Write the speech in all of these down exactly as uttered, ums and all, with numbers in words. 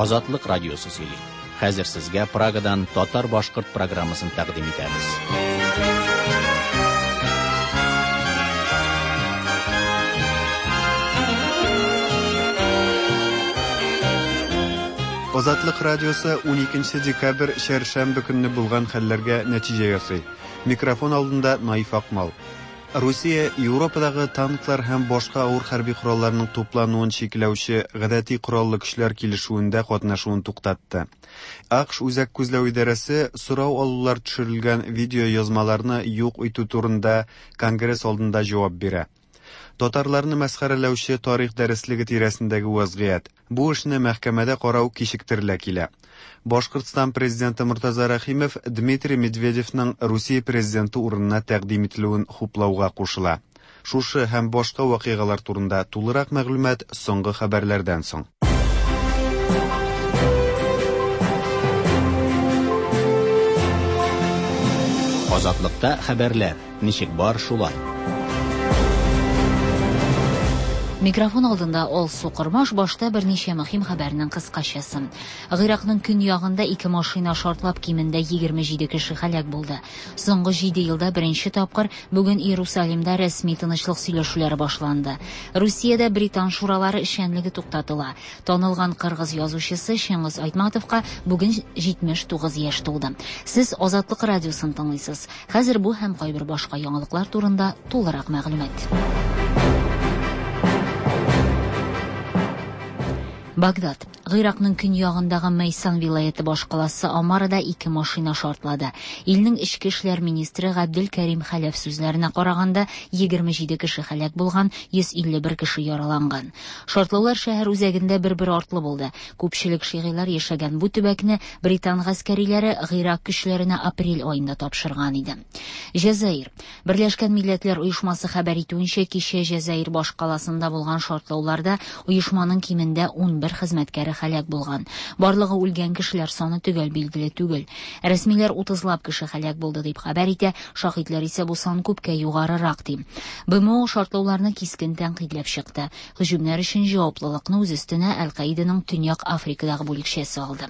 Азатлык радиосы сөйли. Хәзер сезгә Прагадан татар-башкорт программасын тәкъдим итәбез. Азатлык радиосы уникенче декабрь чәршәмбе көнне булган хәлләргә нәтиҗә ясый. Микрофон алдында Наиф Акмал. Русия Европадагы танклар һәм башка авыр хәрби коралларның туплануын чикләүче гадәти кораллы көчләр килешүендә катнашуын туктатты. АКШ Үзәк күзләү идарәсе сорау алулар төшерелгән видео язмаларны юк итү турында Конгресс алдында җавап бирә. Татарларны мәсхәрәләүче тарих дәреслеге тирәсендәге вазгыять. Бу эшне мәхкәмәдә карау кичектерелә килә. Башкортстан президенты Мортаза Рәхимов Дмитрий Медведевның Русия президенты урынына тәкъдим ителүен хуплауга кушыла. Шушы һәм башка вакыйгалар турында тулырак мәгълүмат соңгы хәбәрләрдән соң. Азатлыкта хәбәрләр ничек бар шулай. Микрофон алдында Алсу Кормаш, башта берничә мөһим хәбәрнең кыскачасы. Гыйракның көньягында ике машина шартлап кимендә егерме җиде кеше һәлак булды. Соңгы җиде елда беренче тапкыр бүген Иерусалимда рәсми тынычлык сөйләшүләре башланды. Русиядә британ шуралары эшчәнлеге туктатыла. Танылган кыргыз язучысы Чыңгыз Айтматовка бүген җитмеш тугыз яшь тулды. Сез Азатлык радиосын тыңлыйсыз. Хәзер бу һәм кайбер башка яңалыклар турында тулырак мәгълүмат. Багдад. Гыйракның көньягындагы Мейсан вилаяте башкаласы Амарада ике машина шартлады. Илнең эчке эшләр министры Габдел Кәрим Хәләф сүзләренә караганда, егерме җиде кеше һәлак булган, йөз илле бер кеше яраланган. Шартлаулар шәһәр үзәгендә бер-бер артлы булды. Күпчелек шигыйлар яшәгән бу төбәкне британ гаскәриләре Гыйрак көчләренә апрель аенда тапшырган иде. Җәзаир. Берләшкән Милләтләр Оешмасы хәбәр итүенчә, кичә Җәзаир башкаласында булган шартлауларда оешманың кимендә ун бер хезмәткәре һәлак булган. Барлыгы үлгән кешеләр саны төгәл билгеле түгел. Рәсмиләр утызлап кеше һәлак булды дип хәбәр итә, шаһитлар исә бу сан күпкә югарырак ди. БМО шартлауларны кискен тәнкыйтьләп чыкты. Һөҗүмнәр өчен җаваплылыкны үз өстенә Әл-Каиданың Төньяк Африкадагы бүлекчәсе алды.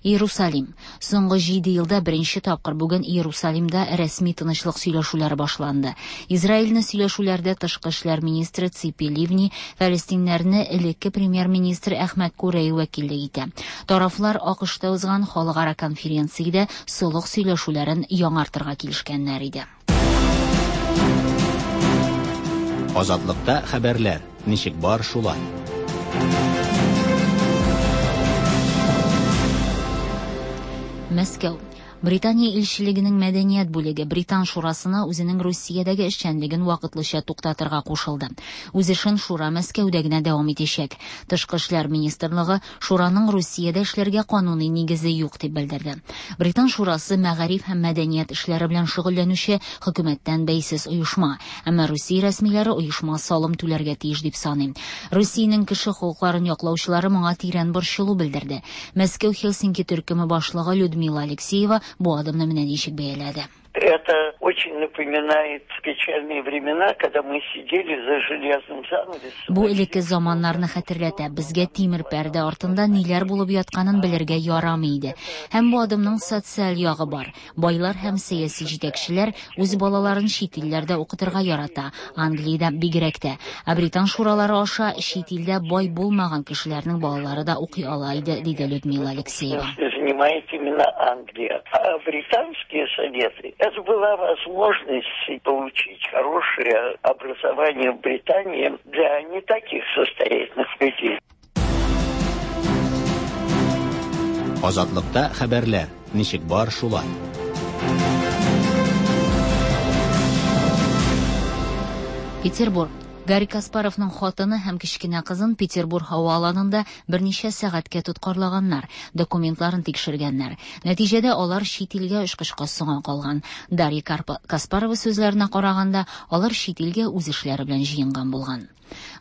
Иерусалим. Соңгы җиде елда беренче тапкыр бүген Иерусалимда рәсми тынычлык сөйләшүләре башланды. Израильне сөйләшүләрдә тышкы эшләр министры Ципи Ливни, фәлестиннәрне элекке премьер-министр Әхмәт Курей вәкиллек итә. Тарафлар АКШта узган халыкара конференциядә солых сөйләшүләрен яңартырга килешкәннәр иде. Азатлыкта хәбәрләр ничек бар шулай. Мәскәү. Британия илчелегенең мәдәният бүлеге Британ шурасына үзенең Русиядәге эшчәнлеген вакытлыча туктатырга кушылды. Үз эшен шура Мәскәүдә генә дәвам итәчәк. Тышкы эшләр министрлыгы шураның Русиядә эшләргә кануни нигезе юк дип белдерде. Британ шурасы мәгариф һәм мәдәният эшләре белән шөгыльләнүче хөкүмәттән бәйсез оешма, әмма Русия рәсмиләре оешма салым түләргә тиеш дип саный. Русиянең кеше хокукларын яклаучылары моңа тирән борчылу белдерде. Мәскәү Хельсинки төркеме башлыгы Людмила Алексеева бу адымны менә ничек бәяләде. Это очень напоминает печальные времена, когда мы сидели за железным занавесом. Бу элекке заманнарны хәтерләтә. Безгә тимер пәрдә артында ниләр булып ятканын белергә ярамый иде. Һәм бу адымның социаль ягы бар. Байлар һәм сәяси җитәкчеләр үз балаларын чит илләрдә укытырга ярата, Англиядә бигрәк тә. Ә британ шуралары аша чит илдә бай булмаган кешеләрнең балалары да укый ала иде, диде Людмила Алексеева. Занимает именно Англия. А британские советы — это была возможность получить хорошее образование в Британии для не таких состоятельных людей. Азатлыкта хәбәрләр ничек бар шулай. Петербург. Гарри Каспаровның хатыны һәм кечкенә кызын Петербург һава аланында берничә сәгатькә тоткарлаганнар, документларын тикшергәннәр. Нәтиҗәдә алар чит илгә очкычка соңа калган. Дарья Карпа-, Каспарова сүзләренә караганда, алар чит илгә үз эшләре белән җыенган булган.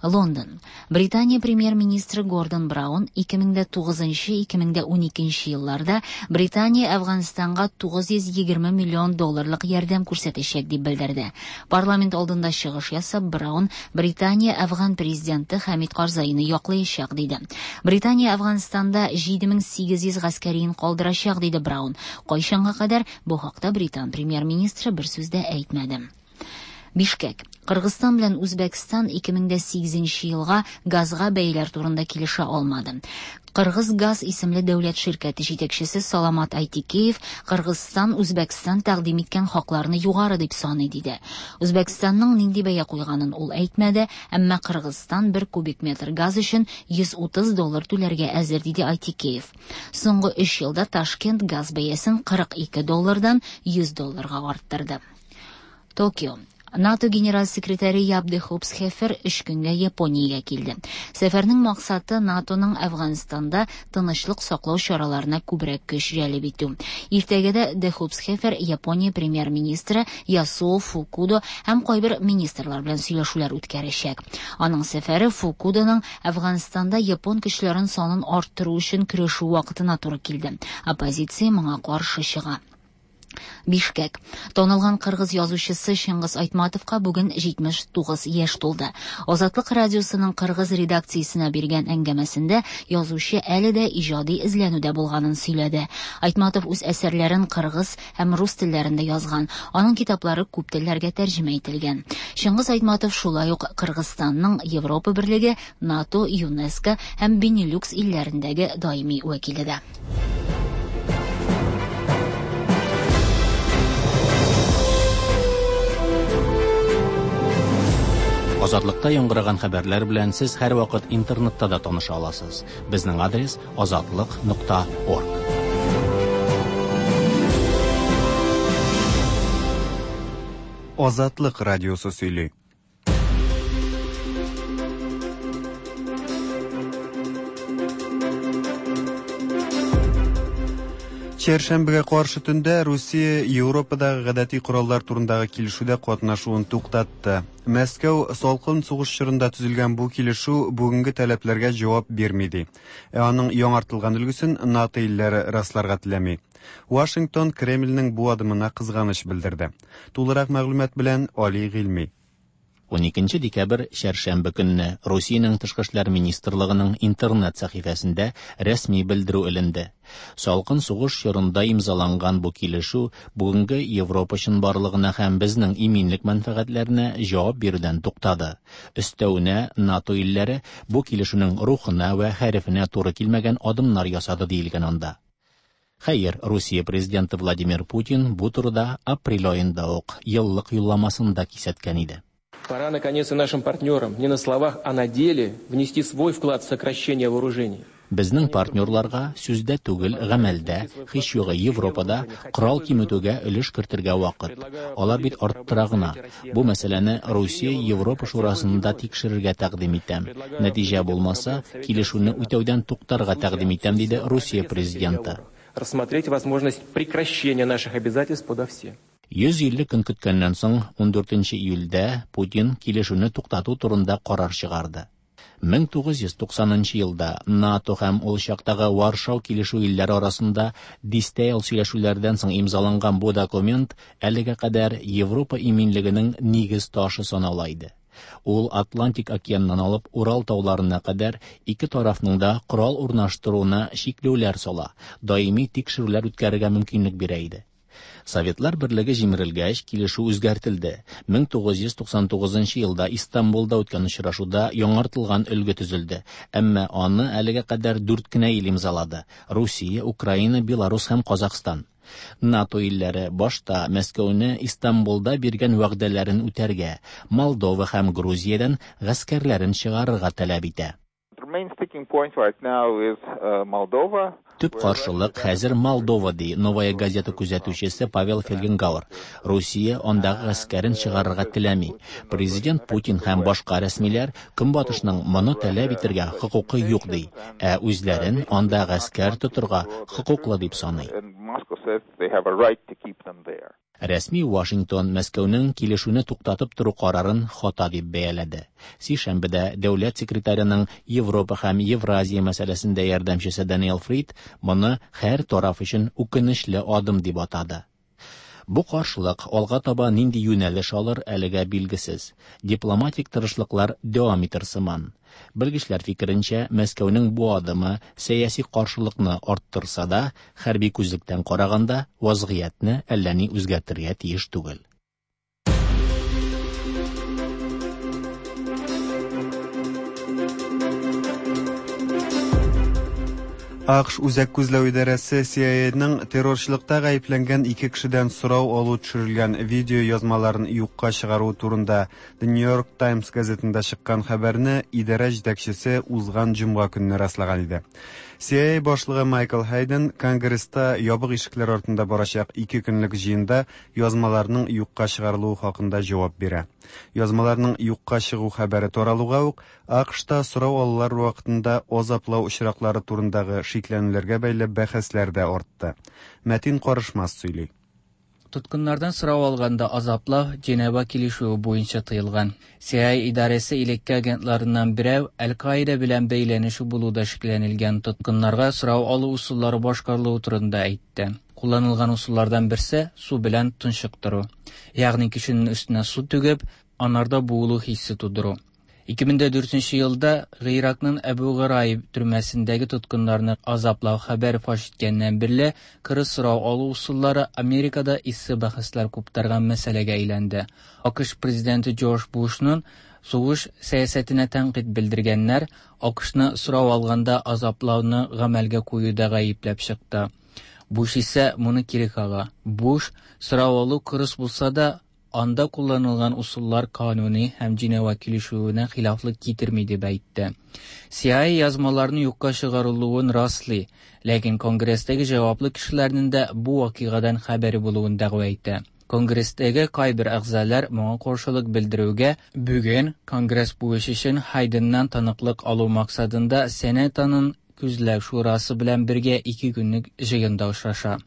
Лондон. Британия премьер-министры Гордон Браун ике мең дә тугызынчы, ике мең дә уникенче елларда Британия Әфганстанга тугыз йөз егерме миллион долларлык ярдәм күрсәтәчәк дип белдерде. Парламент алдында чыгыш ясап, Браун Британия Әфган президенты Хәмид Карзайны яклаячак диде. Британия Әфганстанда җиде мең сигез йөз гаскәрин калдырачак диде Браун. Кайчанга кадәр бу хакта Британ премьер-министры бер сүз дә әйтмәде. Бишкек. Кыргызстан белән Үзбәкстан ике мең дә сигезенче елга газга бәяләр турында килешә алмады. Кыргыз газ исемле дәүләт ширкәте җитәкчесе Саламат Айтикеев Кыргызстан Үзбәкстан тәкъдим иткән хакларны югары дип саный диде. Үзбәкстанның нинди бәя куйганын ул әйтмәде, әмма Кыргызстан бер кубик метр газ өчен йөз утыз доллар түләргә әзер диде Айтикеев. Соңгы өч елда Ташкент газ бәясен кырык ике доллардан йөз долларга арттырды. Токио. НАТО генераль секретаре Яп де Хопсхефер өч көнгә Япониягә килде. Сәфәрнең максаты НАТОның Әфганстанда тынычлык саклау чараларына күбрәк көч җәлеп итү. Иртәгә дә де Хопсхефер Япония премьер-министры Ясуо Фукудо һәм кайбер министрлар белән сөйләшүләр үткәрәчәк. Аның сәфәре Фукудоның Әфганстанда япон көчләрен санын арттыру өчен көрәшү вакытына туры килде. Оппозиция моңа каршы чыга. Бишкек. Танылган кыргыз язучысы Чыңгыз Айтматовка бүген җитмеш тугыз яшь тулды. Азатлык радиосының кыргыз редакциясенә биргән әңгәмәсендә язучы әле дә иҗади эзләнүдә булганын сөйләде. Айтматов үз әсәрләрен кыргыз һәм рус телләрендә язган. Аның китаплары күп телләргә тәрҗемә ителгән. Чыңгыз Айтматов шулай ук Кыргызстанның Европа Берлеге, НАТО, ЮНЕСКО һәм Бенилюкс илләрендәге даими вәкиле дә. Азатлыкта яңгыраган хәбәрләр белән сез һәрвакыт интернетта да таныша аласыз. Безнең адрес азатлык нокта орг. Азатлык радиосы сөйли. Чәршәмбегә каршы төндә Русия Европадагы гадәти кораллар турындагы килешүдә катнашуын туктатты. Мәскәү салкын сугыш чорында төзелгән бу килешү бүгенге таләпләргә җавап бирми ди. Ә аның яңартылган өлгесен НАТО илләре расларга теләми. Вашингтон Кремльнең бу адымына кызганыч белдерде. Тулырак мәгълүмат белән Али Гыйльми. Уникенче декабрь чәршәмбе көнне Русиянең тышкы эшләр министрлыгының интернет сәхифәсендә рәсми белдерү эленде. Салкын сугыш чорында имзаланган бу килешү бүгенге Европа чынбарлыгына һәм безнең иминлек мәнфәгатьләренә җавап бирүдән туктады. Өстәвенә НАТО илләре бу килешүнең рухына ва хәрефенә туры килмәгән адымнар ясады диелгән анда. Хәер, Русия президенты Владимир Путин бу турыда апрель аенда ук еллык юлламасында кисәткән иде. Пора, наконец, и нашим партнерам не на словах, а на деле внести свой вклад в сокращение вооружений. Безнең партнерларга сүздә түгел, гамәлдә, һич югы Европада корал киметүгә өлеш кертергә вакыт. Алар бит арттыра гына. Бу мәсьәләне Русия Европа шурасында тикшерергә тәкъдим итәм. Нәтиҗә булмаса, килешүне үтәүдән туктарга тәкъдим итәм, диде Русия президенты. Рассмотреть возможность прекращения наших обязательств подо все. Йөз илле көн көткәннән соң ундүртенче июльдә Путин килешүне туктату турында карар чыгарды. Мең тугыз йөз туксанынчы елда НАТО һәм ул чактагы Варшау килешү илләре арасында дистә ел сөйләшүләрдән соң имзаланган бу документ әлегә кадәр Европа иминлегенең нигез ташы санала иде. Ул Атлантик океаннан алып Урал тауларына кадәр ике тарафның да корал урнаштыруына чикләүләр сала, даими тикшерүләр үткәрергә мөмкинлек бирә иде. Советлар Берлеге җимерелгәч, килешү үзгәртелде. Мең тугыз йөз туксан тугызынчы елда Истанбулда үткән очрашуда яңартылган өлге төзелде. Әмма аны әлегә кадәр дүрт кенә ил имзалады: Русия, Украина, Беларус һәм Казахстан. НАТО илләре башта Мәскәүне Истанбулда биргән вәгъдәләрен үтәргә, Молдова һәм Грузиядән гаскәрләрен чыгарырга таләп итә. The main sticking point right now is, uh, Moldova. Төп каршылык хәзер Молдова, ди Новая газета күзәтүчесе Павел Фельгенгауэр. Русия андагы гаскәрен чыгарырга теләми. Президент Путин һәм башка рәсмиләр Көнбатышның моны таләп итәргә хокукы юк ди, ә үзләрен анда гаскәр тотырга хокуклы дип саный. Рәсми Вашингтон Мәскәүнең килешүне туктатып тору карарын хата дип бәяләде. Сишәмбедә дәүләт секретареның Европа һәм Евразия мәсьәләсендә ярдәмчесе Даниэл Фрид моны һәр тараф өчен үкенечле адым дип атады. Бу каршылык алга таба нинди юнәлеш алыр әлегә билгесез. Дипломатик тырышлыклар дәвам итер сыман. Белгечләр фикеренчә, Мәскәүнең бу адымы сәяси каршылыкны арттырса да, хәрби күзлектән караганда вазгыятьне әллә ни үзгәртергә тиеш түгел. А Q Ш Үзәк күзләү идарәсе C I A'ның террорчылыкта гаепләнгән ике кешедән сорау алу төшерелгән видео язмаларын юкка чыгаруы турында The New York Times газетында чыккан хәбәрне идарә җитәкчесе узган җомга көнне раслаган иде. C I A башлыгы Майкл Хейден Конгресста ябык ишекләр артында барачак ике көнлек җыенда язмаларның юкка чыгарылуы хакында җавап бирә. Язмаларның юкка чыгу хәбәре таралуга ук А Q Шта сорау алулар вакытында азаплау очраклары турындагы шикләнүләргә бәйле бәхәсләр дә артты. Мәтин Карышмас сөйли. Тоткыннардан сорау алганда азаплау Женева килешүе буенча тыелган. C I A идарәсе элекке агентларыннан берәү Әл-Каида белән бәйләнеше булуда шикләнелгән тоткыннарга сорау алу ысуллары башкарылуы турында әйтте. Кулланылган ысуллардан берсе су белән тончыктыру. Ягъни кешенең өстенә су түгеп, анарда буылу хиссе тудыру. ике мең дүртенче елда Гыйракның Әбу Гырайб төрмәсендәге тоткыннарны азаплау хәбәре фаш иткәннән бирле кырыс сорау алу ысуллары Америкада эссе бәхәсләр куптарган мәсьәләгә әйләнде. А Q Ш президенты Джордж Бушның сугыш сәясәтенә тәнкыйть белдергәннәр А Q Шны сорау алганда азаплауны гамәлгә куюда гаепләп чыкты. Буш исә моны кире кага. Буш сорау алу кырыс булса да, анда кулланылган ысуллар кануни һәм Женева килешүенә хилафлык китерми дип әйтте. C I A язмаларны юкка чыгарылуын раслый, ләкин Конгресстәге җаваплы кешеләрнең дә бу вакыйгадан хәбәре булуын дәгъва итә. Конгресстәге кайбер әгъзалар моңа каршылык белдерүгә бүген Конгресс бу эш өчен Хайденнан таныклык алу максатында Сенатның күзләү шурасы белән бергә ике көнлек җыенда очраша.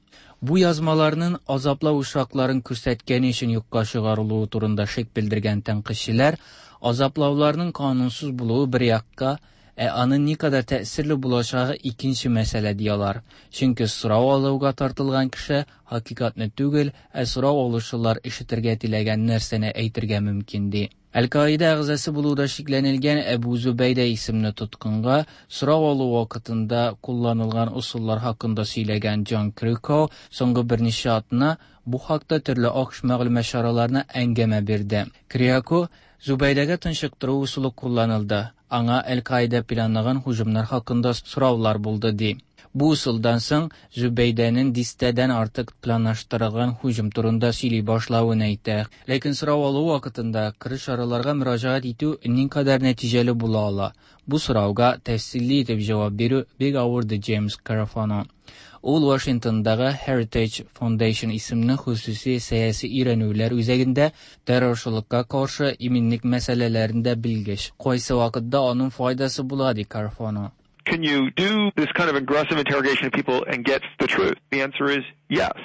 Бу язмаларның азаплау очракларын күрсәткәне өчен юкка чыгарылуы турында шик белдергән тәнкыйтьчеләр азаплауларның канунсыз булуы бер якка, ә аның никадәр тәэсирле булачагы икенче мәсьәлә диялар. Чөнки сорау алуга тартылган кеше хакыйкатьне түгел, ә сорау алучылар ишетергә теләгән нәрсәне әйтергә мөмкин ди. Әл-Каида әгъзасы булуда шикләнелгән Әбу Зубәйдә исемле тоткынга сорау алу вакытында кулланылган ысуллар хакында сөйләгән Джон Кириаку соңгы берничә атна бу хакта төрле А Q Ш мәгълүмат чараларына әңгәмә бирде. Кириаку Зубәйдәгә тынчыктыру ысулы кулланылды. Аңа Әл-Каида планлаган һөҗүмнәр хакында сораулар булды ди. Бу ысулдан соң Зубәйдәнең дистәдән артык планлаштырылган һөҗүм турында сөйли башлавын әйтә. Ләкин сорау алу вакытында кырыс чараларга мөрәҗәгать итү никадәр нәтиҗәле була ала? Бу сорауга тәфсилле итеп җавап бирү бик авыр ди Джеймс Карфано. Ул Вашингтондагы Heritage Foundation исемле хосуси сәяси өйрәнүләр үзәгендә террорчылыкка каршы иминлек мәсьәләләрендә белгеч. Кайсы вакытта аның файдасы була ди Карфано. Can you do this kind of aggressive interrogation of people and get the truth? The answer is yes.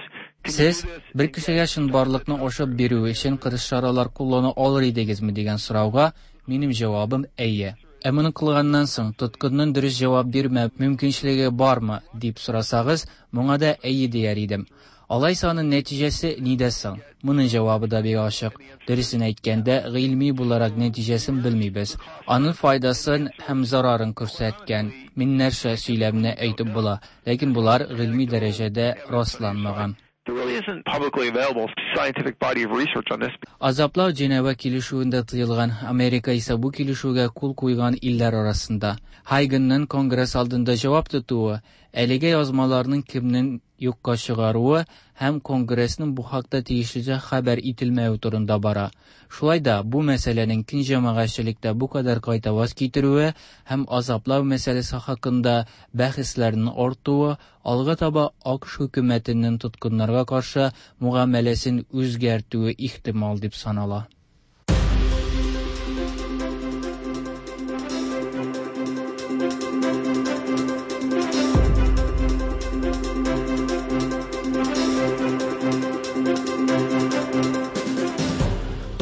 Сез бер кешегә чынбарлыкны ачып бирү өчен кырыс чаралар куллана алыр идегезме дигән сорауга минем җавабым әйе. Ә моны кылганнан соң тоткынның дөрес җавап бирмәү мөмкинчелеге бармы дип сорасагыз, моңа да әйе дияр идем. Алайса аның нәтиҗәсе нидә соң? Моның җавабы да бик ачык. Дөресен әйткәндә, гыйльми буларак нәтиҗәсен белмибез. Аның файдасын һәм зарарын күрсәткән меңнәрчә сөйләмне әйтеп була, ләкин булар гыйльми дәрәҗәдә расланмаган. There really isn't publicly available scientific body of research on this. Азаплау Женева килешүендә тыелган, Америка исә бу килешүгә кул куйган илләр арасында. Хайгенның Конгресс алдында җавап тотуы, әлеге язмаларның кемнең юкка чыгаруы һәм Конгрессның бу хакта тиешлечә хәбәр ителмәве турында бара. Шулай да бу мәсьәләнең киң җәмәгатьчелектә бу кадәр кайтаваз китерүе һәм азаплау мәсьәләсе хакында бәхәсләрнең артуы алга таба А Q Ш хөкүмәтенең тоткыннарга каршы мөгамәләсен үзгәртүе ихтимал дип санала.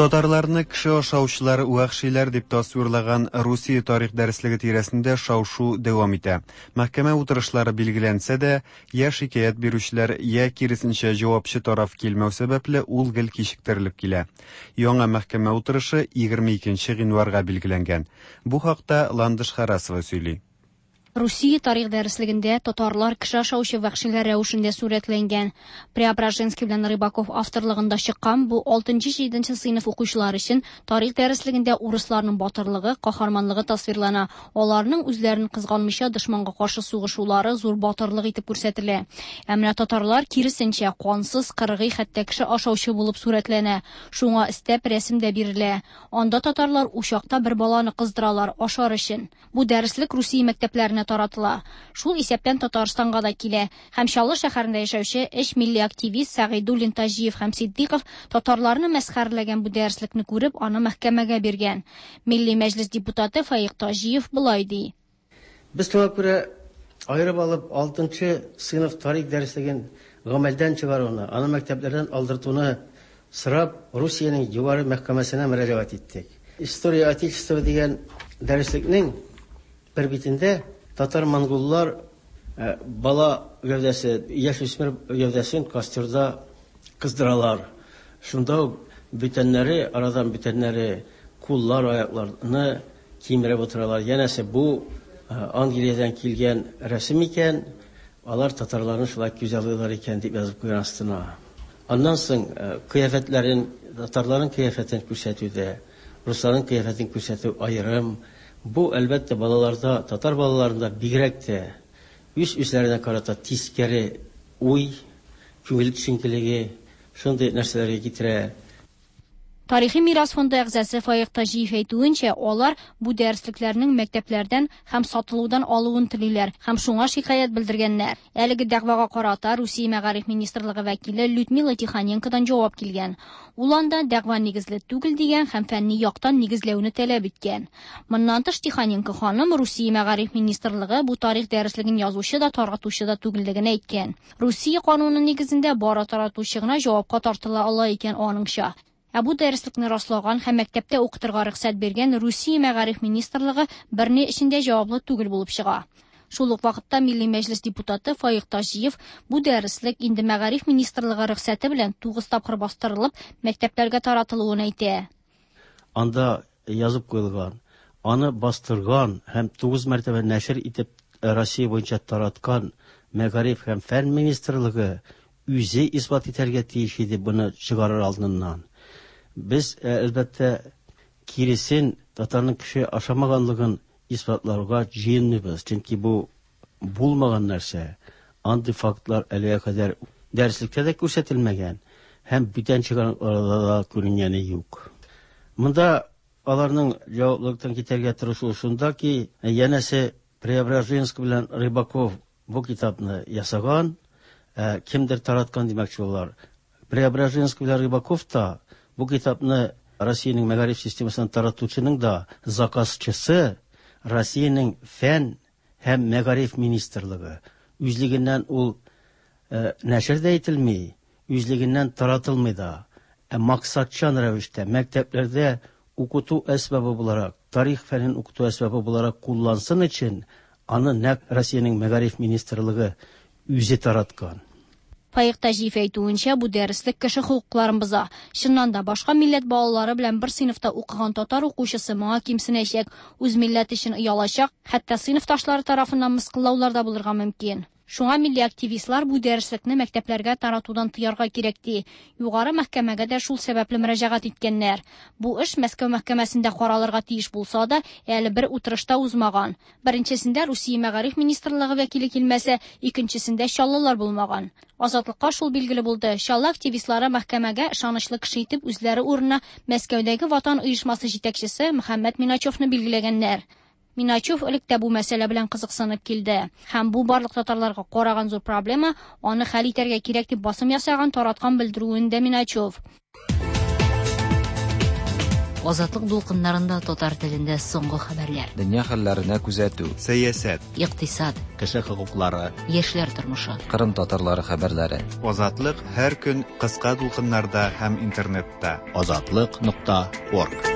Татарларны кеше ашаучылар, вәхшиләр дип тасвирлаган Русия тарих дәреслеге тирәсендә шау-шу дәвам итә. Мәхкәмә утырышлары билгеләнсә дә, я шикаять бирүчеләр, я киресенчә җавапчы тараф килмәү сәбәпле ул гел кичектерелеп килә. Яңа мәхкәмә утырышы егерме икенче гыйнварга билгеләнгән. Бу хакта Ландыш Харасова сөйли. Русия тарих дәреслегендә татарлар кеше ашаучы вәхшиләр рәвешендә сурәтләнгән. Преображенский белән Рыбаков авторлыгында чыккан бу алтынчы-җиденче сыйныф укучылары өчен тарих дәреслегендә урысларның батырлыгы, каһарманлыгы тасвирлана. Аларның үзләрен кызганмыйча дошманга каршы сугышулары зур батырлык итеп күрсәтелә. Ә менә татарлар киресенчә кансыз, кыргый, хәтта кеше ашаучы булып сурәтләнә. Шуңа өстәп рәсем дә бирелә. Анда татарлар учакта бер баланы кыздыралар ашар өчен. Бу дәреслек Русия мәктәпләренә таратыла. Шул исәптән Татарстанга да килә. Һәм Чаллы шәһәрендә яшәүче өч милли активист Сәгыйдуллин, Таҗиев һәм Сиддиков татарларны мәсхәрәләгән бу дәреслекне күреп, аны мәхкәмәгә биргән. Милли мәҗлес депутаты Фаик Таҗиев болай ди. Без шуңа күрә аерып алып алтынчы сыйныф тарих дәреслеген гамәлдән чыгаруны, аны мәктәпләрдән алдыртуны сорап Русиянең югары мәхкәмәсенә мөрәҗәгать иттек. История Отечества дигән дәреслекнең бер битендә татар-монголлар бала гәүдәсе, яшь үсмер гәүдәсен костерда кыздыралар. Шунда ук бүтәннәре, арадан бүтәннәре куллар, аякларны кимереп утыралар. Янәсе бу Англиядән килгән рәсем икән, алар татарларны шулай күзаллыйлар икән дип язып куйган астына. Аннан соң кыяфәтләрен, татарларның кыяфәтен күрсәтүдә, русларның кыяфәтен күрсәтү аерым. Бу әлбәттә балаларда, татар балаларында бигрәк тә үз үзләренә карата тискәре уй, күңел төшенкелеге, шундый нәрсәләргә китерә. Тарихи мирас фонды әгъзасы Фаик Таҗиев әйтүенчә, алар бу дәреслекләрнең мәктәпләрдән һәм сатылудан алуын телиләр һәм шуңа шикаять белдергәннәр. Әлеге дәгъвага карата Русия мәгариф министрлыгы вәкиле Людмила Тихоненкодан җавап килгән. Ул анда дәгъва нигезле түгел дигән һәм фәнни яктан нигезләүне таләп иткән. Моннан тыш Тихоненко ханым Русия мәгариф министрлыгы бу тарих дәреслеген язучы да, таратучы да түгеллеген әйткән. Русия кануны нигезендә бары таратучы гына җавапка тартыла ала икән аныңча. Ә бу дәреслекне раслаган һәм мәктәптә укытырга рөхсәт биргән Русия мәгариф министрлыгы берни эчендә җаваплы түгел булып чыга. Шул ук вакытта Милли мәҗлес депутаты Фаик Таҗиев бу дәреслек инде мәгариф министрлыгы рөхсәте белән тугыз тапкыр бастырылып, мәктәпләргә таратылуын әйтә. Анда язып куелган, аны бастырган һәм тугыз мәртәбә нәшер итеп Россия буенча тараткан мәгариф һәм фән министрлыгы үзе исбат итәргә тиеш иде буны чыгарыр алдыннан. Без әлбәттә киресен татарның кеше ашамаганлыгын исбатларга җыенмыйбыз, чөнки бу булмаган нәрсә. Андый фактлар әлегә кадәр дәреслектә дә күрсәтелмәгән һәм бүтән чыганакларда да күренгәне юк. Монда аларның җаваплылыктан китәргә тырышуы шунда ки, янәсе Преображенский белән Рыбаков бу китапны ясаган, кемдер тараткан димәкче булалар. Преображенский белән Рыбаков та бу китапны Россиянең мәгариф системасын таратучының да заказчысы Россиянең фән һәм мәгариф министрлыгы. Үзлегеннән ул э, нәшер дә ителми, үзлегеннән таратылмый да. Ә максатчан рәвештә мәктәпләрдә укыту әсбабы буларак, тарих фәнен укыту әсбабы буларак куллансын өчен аны нәкъ Россиянең мәгариф министрлыгы үзе тараткан. Фаик Таҗиев әйтүенчә, бу дәреслек кеше хокукларын боза. Чыннан да башка милләт балалары белән бер сыйныфта укыган татар укучысы моңа кимсенәчәк, үз милләте өчен оялачак, хәтта сыйныфташлары тарафыннан мыскыллаулар да булырга мөмкин. Шуңа милли активистлар бу дәреслекне мәктәпләргә таратудан тыярга кирәк ди. Югары мәхкәмәгә дә шул сәбәпле мөрәҗәгать иткәннәр. Бу эш Мәскәү мәхкәмәсендә каралырга тиеш булса да, әле бер утырышта узмаган. Беренчесендә Русия мәгариф министрлыгы вәкиле килмәсә, икенчесендә чаллылар булмаган. Азатлыкка шул билгеле булды. Чаллы активистлары мәхкәмәгә ышанычлы кеше итеп үзләре урынына Мәскәүдәге Ватан оешмасы җитәкчесе Мөхәммәт Миначевны билгеләгәннәр. Миначев элек тә бу мәсьәлә белән кызыксынып килде. Һәм бу барлык татарларга караган зур проблема, аны хәл итәргә кирәк дип басым ясаган тараткан белдерүендә Миначев. Азатлык дулкыннарында татар телендә соңгы хәбәрләр. Дөнья хәлләренә күзәтү. Сәясәт. Икътисад. Кеше хокуклары. Яшьләр тормышы. Кырым татарлары хәбәрләре. Азатлык һәр көн кыска дулкыннарда һәм интернетта. Азатлык нокта орг.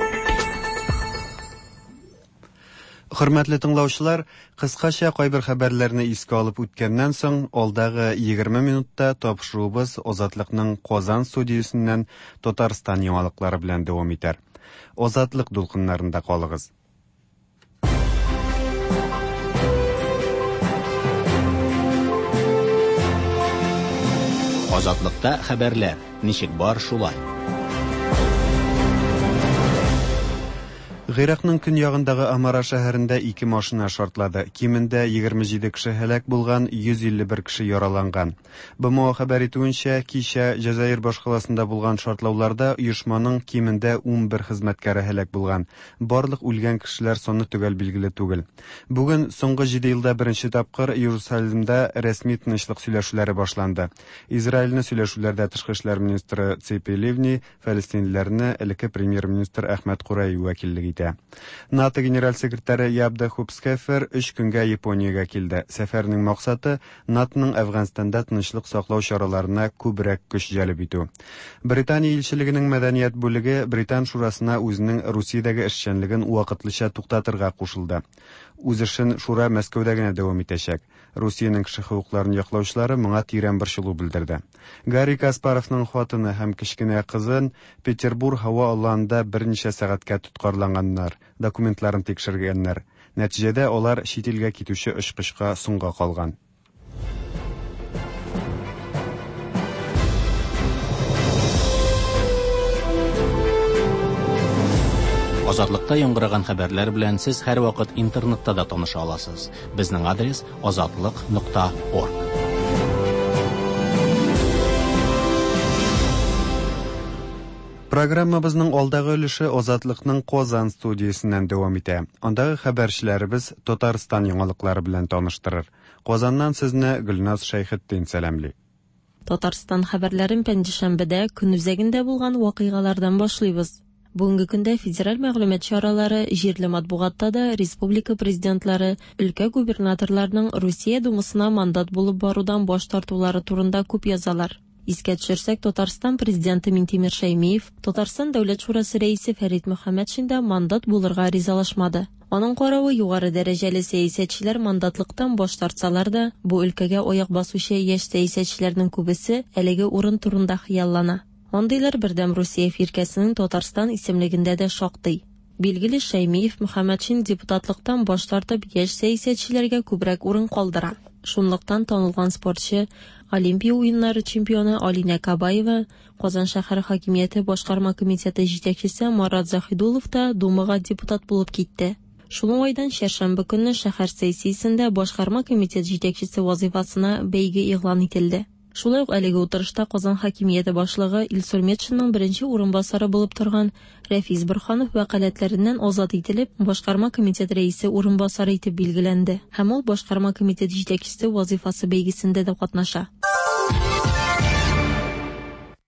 Хөрмәтле тыңлаучылар, кыскача кайбер хәбәрләрне искә алып үткәннән соң, алдагы егерме минутта тапшыруыбыз Азатлыкның Казан студиясеннән Татарстан яңалыклары белән дәвам итәр. Азатлык дулкыннарында калыгыз. Азатлыкта хәбәрләр ничек бар шулай. Гыйракның көньягындагы Амара шәһәрендә ике машина шартлады. Кимендә егерме җиде кеше һәлак булган, йөз илле бер кеше яраланган. БМО хәбәр итүенчә, кичә Җәзаир башкаласында булган шартлауларда оешманың кимендә ун бер хезмәткәре һәлак булган. Барлык үлгән кешеләр саны төгәл билгеле түгел. Бүген соңгы җиде елда беренче тапкыр Иерусалимда рәсми тынычлык сөйләшүләре башланды. Израильне сөйләшүләрдә тышкы эшләр министры Ципи Ливни, фәлестинлеләрне элекке премьер-министр Әхмәт Курай вәкиллек итә. НАТО генераль секретаре Ябда Хупскефер өч көнгә Япониягә килде. Сәфәрнең максаты НАТОның Әфганстанда тынычлык саклау чараларына күбрәк көч җәлеп итү. Британия илчелегенең мәдәният бүлеге Британ шурасына үзенең Русиядәге эшчәнлеген вакытлыча туктатырга кушылды. Үз эшен шура Мәскәүдә генә дәвам итәчәк. Русиянең кеше хокукларын яклаучылары моңа тирән борчылу белдерде. Гарри Каспаровның хатыны һәм кечкенә кызын Петербург һава аланында берничә сәгатькә тоткарланганнар, документларын тикшергәннәр. Нәтиҗәдә алар чит илгә китүче очкычка соңга калган. Азатлыкта яңгыраган хәбәрләр белән сез һәрвакыт интернетта да таныша аласыз. Безнең адрес азатлык нокта орг. Программабызның алдагы өлеше Азатлыкның Казан студиясеннән дәвам итә. Андагы хәбәрчеләребез Татарстан яңалыклары белән таныштырыр. Казаннан сезне Гөлназ Шәйхетдин сәламли. Татарстан хәбәрләрен пәнҗешәмбедә көн үзәгендә булган вакыйгалардан башлыйбыз. Бүгенге көндә федераль мәгълүмат чаралары, җирле матбугатта да республика президентлары, өлкә губернаторларының Русия думасына мандат булып барудан баш тартулары турында күп язалар. Искә төшерсәк, Татарстан президенты Минтимер Шәймиев, Татарстан Дәүләт шурасы рәисе Фәрит Мөхәммәтшин дә мандат булырга ризалашмады. Аның каравы югары дәрәҗәле сәясәтчеләр мандатлыктан баш тартсалар да, бу өлкәгә аяк басучы яшь сәясәтчеләрнең күбесе әлеге урын турында хыяллана. Андыйлар Бердәм Русия фиркәсенең Татарстан исемлегендә дә шактый. Билгеле, Шәймиев Мөхәммәтшин депутатлыктан баш тартып яшь сәясәтчеләргә күбрәк урын калдыра. Шунлыктан танылган спортчы, Олимпия уеннары чемпионы Алинә Кабаева, Казан шәһәре хакимияте башкарма комитеты җитәкчесе Марат Заһидуллов та Думага депутат булып китте. Шул уңайдан чәршәмбе көнне шәһәр сессиясендә башкарма комитет җитәкчесе вазифасына бәйге игълан ителде. Шулай ук әлеге утырышта Казан хакимияте башлыгы Илсур Метшинның беренче урынбасары булып торган Рәфис Борһанов вәкаләтләреннән азат ителеп, башкарма комитет рәисе урынбасары итеп билгеләнде. Һәм ул башкарма комитет җитәкчесе вазифасы бәйгесендә дә катнаша.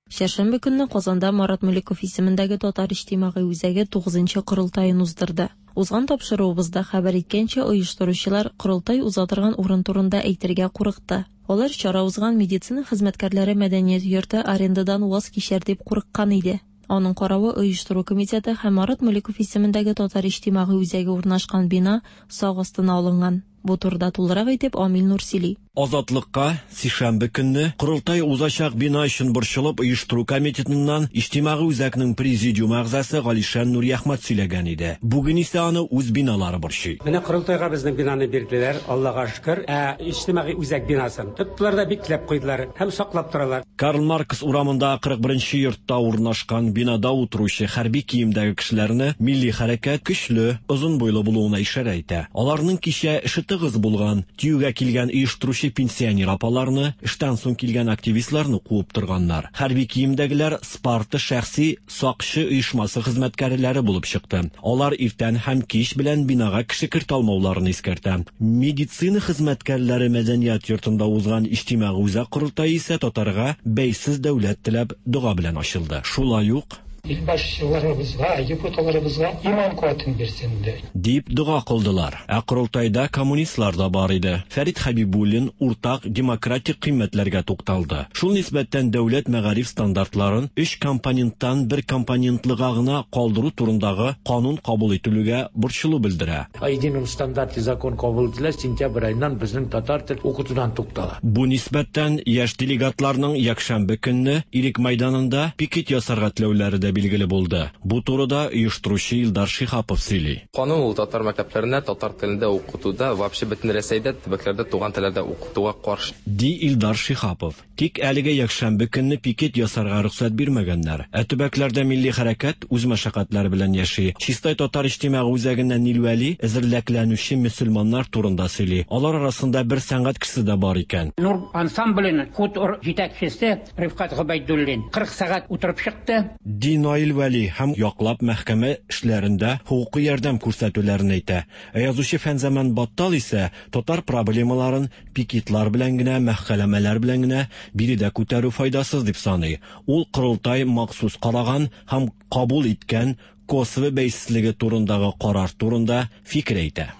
Чәршәмбе көнне Казанда Марат Мөлеков исемендәге Татар иҗтимагый үзәге тугызынчы корылтаен уздырды. Узган тапшыруыбызда хәбәр иткәнчә, оештыручылар корылтай уза торган урын турында әйтергә курыкты. Алар чара узган медицина хезмәткәрләре мәдәният йорты арендадан ваз кичәр дип курыккан иде. Аның каравы оештыру комитеты һәм Марат Мөлеков исемендәге Татар иҗтимагый үзәге урнашкан бина сак астына алынган. Бу турыда тулырак итеп Амил Нурсили. Азатлыкка сишәмбе көнне корылтай узачак бина өчен борчылып оештыру комитетыннан иҗтимагый үзәкнең президиум әгъзасы Галишан Нурияхмәт сөйләгән иде. Бүген исә аны үз биналары борчый. Менә корылтайга безнең бинаны бирделәр, Аллага шөкер. Ә иҗтимагый үзәк бинасын тоттылар да бикләп куйдылар һәм саклап торалар. Карл Маркс урамында кырык беренче йортта урнашкан бинада утыручы хәрби киемдәге кешеләрне милли хәрәкәт көчле, озын буйлы булуына ишарә итә. Аларның кичә эше тыгыз булган, тиюгә килгән оештыручы пенсионер апаларны, эштән соң килгән активистларны куып торганнар. Хәрби киемдәгеләр Спарта шәхси сакчы оешмасы хезмәткәрләре булып чыкты. Алар иртән һәм кич белән бинага кеше кертә алмауларын искәртә. Медицина хезмәткәрләре мәдәният йортында узган иҗтимагый үзәк корылтае исә татарга бәйсез дәүләт теләп дога белән ачылды. Шулай ук Илбашчыларыбызга, депутатларыбызга иман куәтен бирсен иде. Дип дога кылдылар. Ә корылтайда коммунистлар да бар иде. Фәрит Хәбибуллин уртак демократик кыйммәтләргә тукталды. Шул нисбәттән дәүләт мәгариф стандартларын өч компоненттан бер компонентлыга гына калдыру турындагы канун кабул ителүгә борчылу белдерә. О едином стандарте закон кабул ителә, сентябрь аеннан безнең татар тел укытудан туктала. Бу нисбәттән яшь делегатларның якшәмбе көнне Ирек мәйданында пикет ясарга теләүләре дә билгеле булды. Бу турыда оештыручы Илдар Шиһапов сөйли. Канун ул татар мәктәпләренә татар телендә укытуда, вообще бөтен Рәсәйдә төбәкләрдә туган телләрдә укытуга каршы. Ди Илдар Шиһапов. Тик әлегә якшәмбе көнне пикет ясарга рөхсәт бирмәгәннәр. Ә төбәкләрдә милли хәрәкәт үз мәшәкатьләре белән яши. Чистай татар иҗтимагый үзәгеннән Нил Вәли әзерләкләнүче мөселманнар турында сөйли. Алар арасында бер сәнгать кешесе дә бар икән. Нур ансамбленең хутор җитәкчесе Рифкат Гобәйдуллин кырык сәгать утырып чыкты. Ди Наил Вәли һәм яклап мәхкәмә эшләрендә хукуки ярдәм күрсәтүләрен әйтә. Ә язучы Фәнзаман Баттал исә татар проблемаларын пикетлар белән генә, мәхкәмәләр белән генә биредә күтәрү файдасыз дип саный. Ул корылтай махсус караган һәм кабул иткән Косово бәйсезлеге турындагы карар турында фикер әйтә.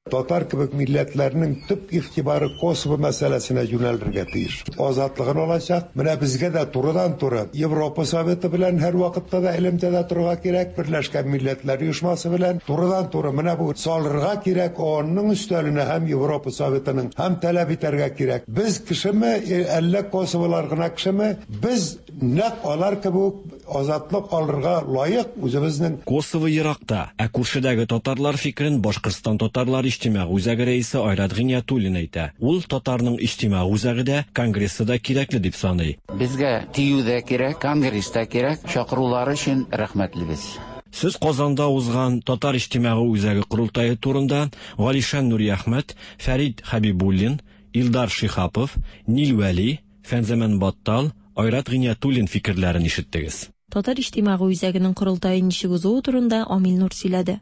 Татар кебек милләтләрнең төп игътибары Косово мәсьәләсенә юнәлергә тиеш. Азатлыгын алачак. Менә безгә дә турыдан-туры Европа Советы белән һәр вакытта да элемтәдә торырга кирәк, Берләшкән Милләтләр Оешмасы белән турыдан-туры менә бу салырга кирәк, ООНның өстәленә һәм Европа Советының һәм таләп итәргә кирәк. Без кешеме, әллә Косоволар гына кешеме, без нәкъ алар кебек азатлык алырга лаек үзебезнең. Косово еракта, ә күршедәге татарлар фикерен Башкортстан татарлар иҗтимагый үзәге рәисе Айрат Гыйниятуллин әйтә. Ул татарның иҗтимагый үзәге дә, конгрессы да кирәкле дип саный. Безгә ТИЮ дә кирәк, конгресс та кирәк. Чакырулары өчен рәхмәтлебез. Сүз Казанда узган Татар иҗтимагый үзәге корылтае турында Галишан Нуриәхмәт, Фәрит Хәбибуллин, Илдар Шиһапов, Нил Вәли, Фәнзаман Баттал, Айрат Гыйниятуллин фикерләрен ишеттегез. Татар иҗтимагый үзәгенең корылтае ничек узуы турында Амил Нур сөйләде.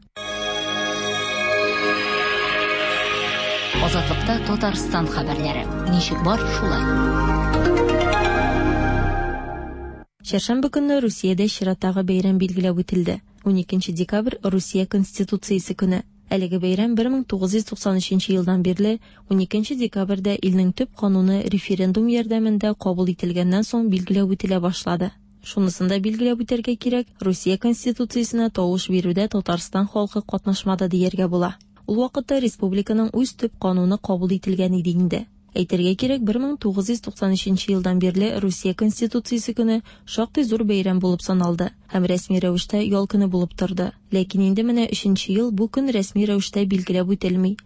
Азатлыкта Татарстан хәбәрләре. Ничек бар, шулай. Чәршәмбе көнне Русиядә чираттагы бәйрәм билгеләп үтелде. уникенче декабрь Русия Конституциясе көне. Әлеге бәйрәм бер мең тугыз йөз туксан өченче елдан бирле уникенче декабрьдә илнең төп кануны референдум ярдәмендә кабул ителгәннән соң билгеләп үтелә башлады. Шунысын да билгеләп үтәргә кирәк, Русия Конституциясенә тавыш бирүдә Татарстан халкы катнашмады дияргә була. Ул вакытта республиканың үз төп кануны кабул ителгән иде инде. Әйтергә кирәк, бер мең тугыз йөз туксан өченче елдан бирле Русия Конституциясе көне шактый зур бәйрәм булып саналды һәм рәсми рәвештә ял көне булып торды. Ләкин инде менә өченче ел бу көн рәсми рәвештә билгеләп үтелми.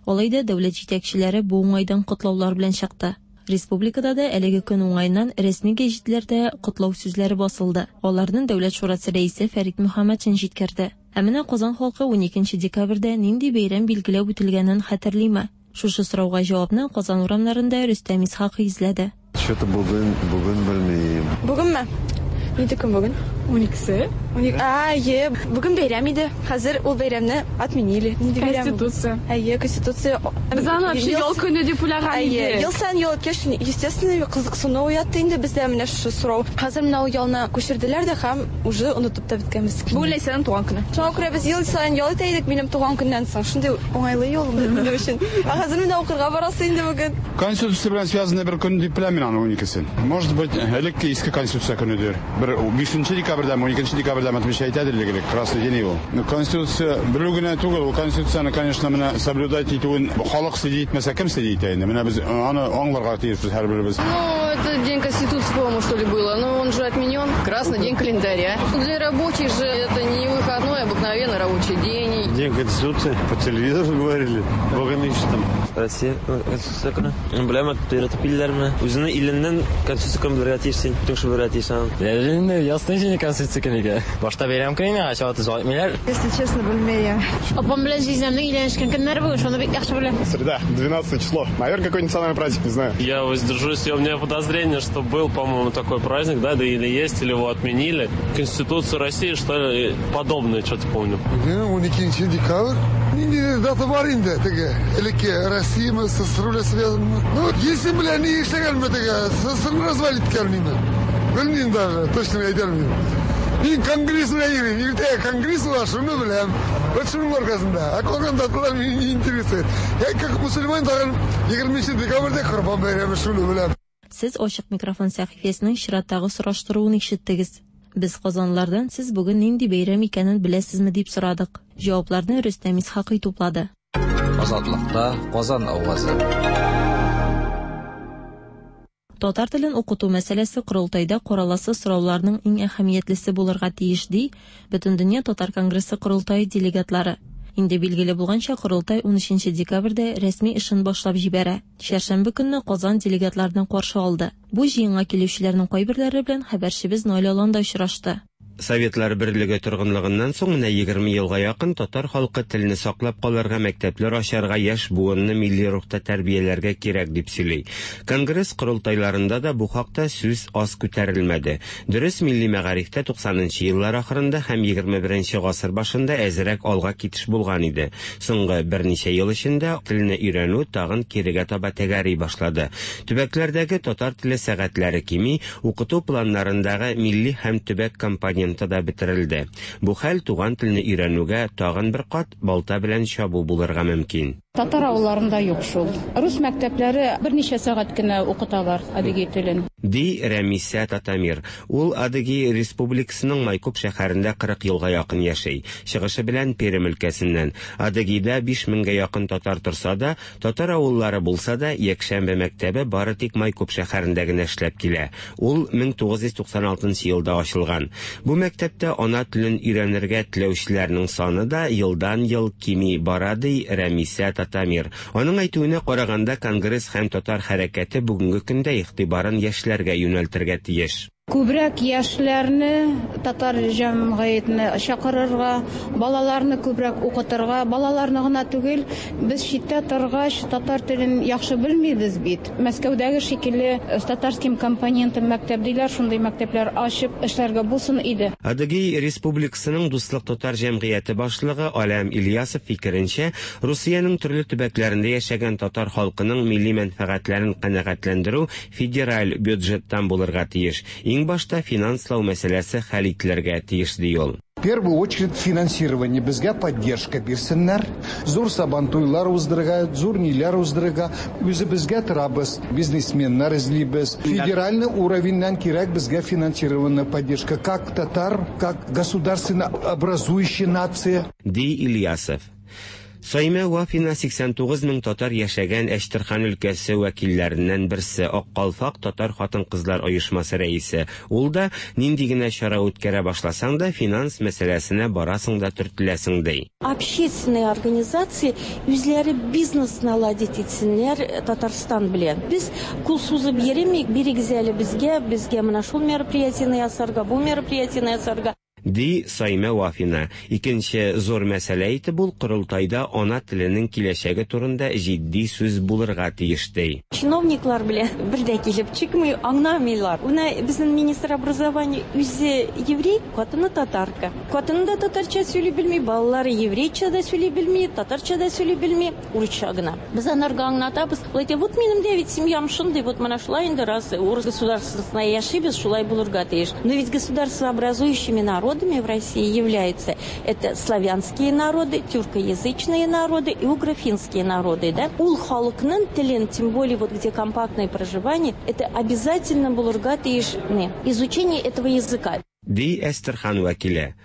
Алай да дәүләт җитәкчеләре бу уңайдан котлаулар белән чыкты. Республикада да әлеге көн уңаеннан рәсми гәҗитләрдә котлау сүзләре басылды. Аларны Дәүләт шурасы рәисе Фәрит Мөхәммәтшин җиткерде. Ә менә Казан халкы уникенче декабрьдә нинди бәйрәм билгеләп үтелгәнен хәтерлиме? Шушы сорауга җавапны Казан урамнарында Рөстәм Исхакый эзләде. Что-то бүген, бүген белмим. Бүгенме? Нинди көн бүген? Уникесе. А, е, бүген бәйрәм иде. Хәзер ул бәйрәмне отменили. Нинди бәйрәм? Конституция. Әйе, Конституция. Без аны вообще ял көне дип уйлаган идек. Ел саен ял үткәч, естественно, кызыксыну уятты инде бездә менә шушы сорау. Хәзер менә ул ялны күчерделәр дә һәм уже онытып та беткәнбез. Бүген Ләйсәнең туган көне. Шуңа күрә без ел саен ял итә идек минем туган көннән соң. Шундый уңайлы ял минем өчен. Ә хәзер менә укырга барасы инде бүген. Конституция белән связанный бер көн дип беләм мин аны уникесен. Может быть, элекке иске Конституция көнедер. Бер бишенче декабрьдә, уникенче декабрьдә отмечать итәдер элек, красный день ул. Конституция белү генә түгел, ул Конституцияне, конечно, менә соблюдать итүен халык следить итмәсә, кем следить итә инде? Менә без аны аңларга тиешбез һәрберебез. Ну, это день Конституции, по-моему, что ли было, но он же отменен. Красный день календаря. Для рабочих же это не выходной, обыкновенный рабочий день. День Конституции по телевизору говорили. Бога там. Россия Конституция көне. Беләм, өйрәтеп килделәрме? Үзеңне иленнән Конституция көне белергә тиешсең, шул белергә тиешсең. Инде ясный инде Конституция көне икән. Башта бәйрәм көне, ача төзәтмиләр. Если честно, белмәйм. Апам белән җизнәмнең өйләнешкән көннәре бүген, шуны бик яхшы беләм. Среда, двенадцатое число. Наверное, какой-нибудь национальный праздник, не знаю. Я воздержусь, у меня подозрение, что был, по-моему, такой праздник, да, да или есть, или его отменили. Конституцию России, что ли, подобное, что-то помню. уникенче декабрь. Нинди дата бар инде теге. Элекке Россия, СССР белән связано. Ну, если белән ни эшләгәнме теге, СССРны развалить иткәнме? Белмим даже, точно әйтә алмыйм. Мин конгресс белән йөрим. Иртәгә конгресс була, шуны беләм. Вот шуның аркасында. Ә калган даталар мине не интересует. Я как мусульман тагын егерменче декабрьдә Корбан бәйрәме, шуны беләм. Сез Ачык микрофон сәхифәсенең чираттагы сораштыруын ишеттегез. Без казанлардан сез бүген нинди бәйрәм икәнен беләсезме дип сорадык. Җавапларны Рөстәм Исхакый туплады. Азатлыкта Казан авазы. Татар телен укыту мәсьәләсе корылтайда караласы сорауларның иң әһәмиятлесе булырга тиеш, ди Бөтендөнья татар конгрессы корылтае делегатлары. Инде билгеле булганча, корылтай унөченче декабрьдә рәсми эшен башлап җибәрә. Чәршәмбе көнне Казан делегатларны каршы алды. Бу җыенга килүчеләрнең кайберләре белән хәбәрчебез Наилә Аланда очрашты. Советлар берлеге торгынлыгыннан соң менә егерме елга якын татар халкы телне саклап калырга, мәктәпләр ачарга, яшь буынны милли рухта тәрбияләргә кирәк дип сөйли. Конгресс корылтайларында да бу хакта сүз аз күтәрелмәде. Дөрес, милли мәгарифтә туксанынчы еллар ахырында һәм егерме беренче гасыр башында әзрәк алга китеш булган иде. Соңгы берничә ел эчендә телне өйрәнү тагын кирегә таба тәгәри башлады. Төбәкләрдәге татар теле сәгатьләре кими, укыту планнарындагы милли һәм төбәк компоненты да бетерелде. Бу хәл туган телне өйрәнүгә тагын бер кат балта белән чабу булырга мөмкин. Татар авылларында юк шул. Рус мәктәпләре берничә сәгать кенә укыталар адыгей телен. Ди Рәмисә Татамир. Ул Адыгей Республикасының Майкоп шәһәрендә кырык елга якын яшәй. Чыгышы белән Пермь өлкәсеннән. Адыгейда биш меңгә якын татар торса да, татар авыллары булса да, якшәмбе мәктәбе бары тик Майкоп шәһәрендә генә эшләп килә. Ул мең тугыз йөз туксан алтынчы елда ачылган. Бу мәктәптә ана телен өйрәнергә теләүчеләрнең саны да елдан-ел кими бара, ди Рәмисә Татамир. Аның әйтүенә караганда, конгресс һәм татар хәрәкәте бүгенге көндә игътибарын яшьләргә юнәлтергә тиеш. Күбрәк яшьләрне татар җәмгыятенә чакырырга, балаларны күбрәк укытырга, балаларны гына түгел, без читтә торгач татар телен яхшы белмибез бит. Мәскәүдәге шикелле с татарским компонентом мәктәп диләр, шундый мәктәпләр ачып эшләргә булсын иде. Адыгей Республикасының Дуслык татар җәмгыяте башлыгы Алям Ильясов фикеренчә, Русиянең төрле төбәкләрендә яшәгән татар халкының милли мәнфәгатьләрен канәгатьләндерү федераль бюджеттан булырга тиеш. Иң башта финанслау мәсьәләсе хәл ителергә тиеш, ди ул. В первую очередь финансирование, безгә поддержка бирсеннәр. Зур сабантуйлар уздырырга, зур ниләр уздырырга, үзебезгә торабыз, бизнесменнар эзлибез. Федеральный уровеньнән кирәк безгә финансированная поддержка, как татар, как государственно образующая нация. Ди Ильясов. Саймә Вафина сиксән тугыз мең татар яшәгән Әчтерхан өлкәсе вәкилләреннән берсе, Ак калфак татар хатын-кызлар оешмасы рәисе. Ул да нинди генә чара үткәрә башласаң да, финанс мәсьәләсенә барасың да төртеләсең, ди. Общественные организации үзләре бизнес наладить итсеннәр Татарстан белән. Без кул сузып йөремик, бирегез әле безгә, безгә менә шул мероприятиене ясарга, бу мероприятиене ясарга. Ди Саймә Вафина. Икенче зур мәсьәлә итеп ул корылтайда ана теленең киләчәге турында җитди сүз булырга тиеш, ди. Чиновниклар белән бер дә килеп чыкмый, аңламыйлар. Менә безнең министр образования үзе еврей, хатыны татарка. Хатыны да татарча сөйли белми, балалары еврейча да сөйли белми, татарча да сөйли белми, урысча гына. Без анарга аңлатабыз. Ул әйтә, вот минем дә бит семьям шундый, вот менә шулай инде раз урыс государствосында яшибез, шулай булырга тиеш. Но ведь государствообразующими народами в России являются это славянские народы, тюркоязычные народы и угрофинские народы, да? Ул халыкның телен, тем более вот где компактное проживание, это обязательно булырга тиеш изучение этого языка. Ди Әстерхан вәкиле.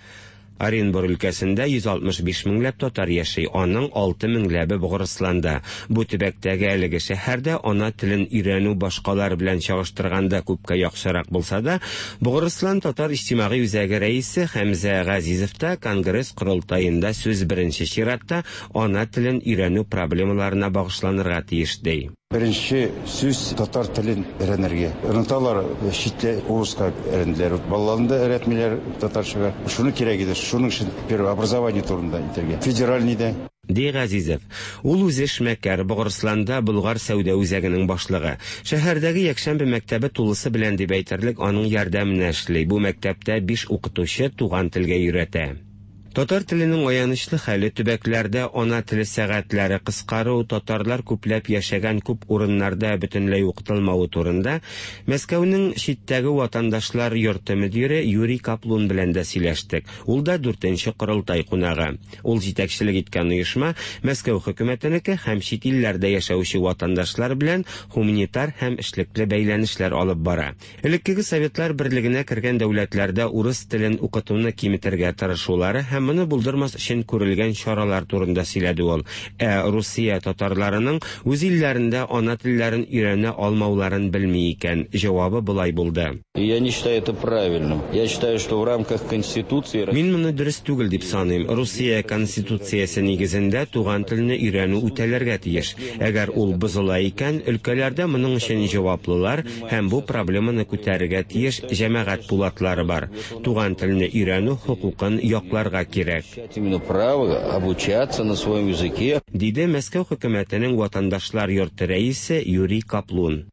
Оренбур өлкәсендә йөз алтмыш биш меңләп татар яши, аның алты меңләбе Богырысланда. Бу төбәктәге әлеге шәһәрдә ана телен өйрәнү башкалар белән чагыштырганда күпкә яхшырак булса да, Богырыслан татар иҗтимагый үзәге рәисе Хәмзә Газизов та конгресс корылтаенда сүз беренче чиратта ана телен өйрәнү проблемаларына багышланырга тиеш, ди. Беренче сүз татар телен өйрәнергә. Оныталар, читтә урыска өйрәнделәр. Балаларны да өйрәтмиләр татарчага. Шуны кирәк иде. Шуның өчен первое образование турында әйтергә. Федеральный да. Ди Газизов. Ул үзе эшмәкәр, Богырысланда Болгар сәүдә үзәгенең башлыгы. Шәһәрдәге якшәмбе мәктәбе тулысы белән дип әйтерлек аның ярдәменә эшли. Бу мәктәптә биш укытучы туган телгә өйрәтә. Татар теленең аянычлы хәле, төбәкләрдә ана теле сәгатьләре кыскару, татарлар күпләп яшәгән күп урыннарда бөтенләй укытылмавы турында Мәскәүнең читтәге ватандашлар йорты мөдире Юрий Каплун белән дә сөйләштек. Ул да дүртенче корылтай кунагы. Ул җитәкчелек иткән оешма Мәскәү хөкүмәтенеке һәм чит илләрдә яшәүче ватандашлар белән гуманитар һәм эшлекле бәйләнешләр алып бара. Элеккеге Советлар берлегенә кергән дәүләтләрдә урыс телен укытуны киметергә тырышулары һәм моны булдырмас өчен күрелгән чаралар турында сөйләде ул. Ә Русия татарларының үз илләрендә ана телләрен өйрәнә алмауларын белми икән. Җавабы болай булды. Я не считаю это правильным. Я считаю, что в рамках Конституции Мин моны дөрес түгел дип саныйм. Русия Конституциясе нигезендә туган телне өйрәнү үтәләргә тиеш. Әгәр ул бозыла икән, өлкәләрдә моның өчен җаваплылар һәм бу проблеманы күтәрергә тиеш җәмәгать пулатлары бар. Туган телне өйрәнү хокукын якларга кирәк. Именно право обучаться на своем языке. Диде Мәскәү хөкүмәтенең ватандашлар йорты рәисе Юрий Каплун.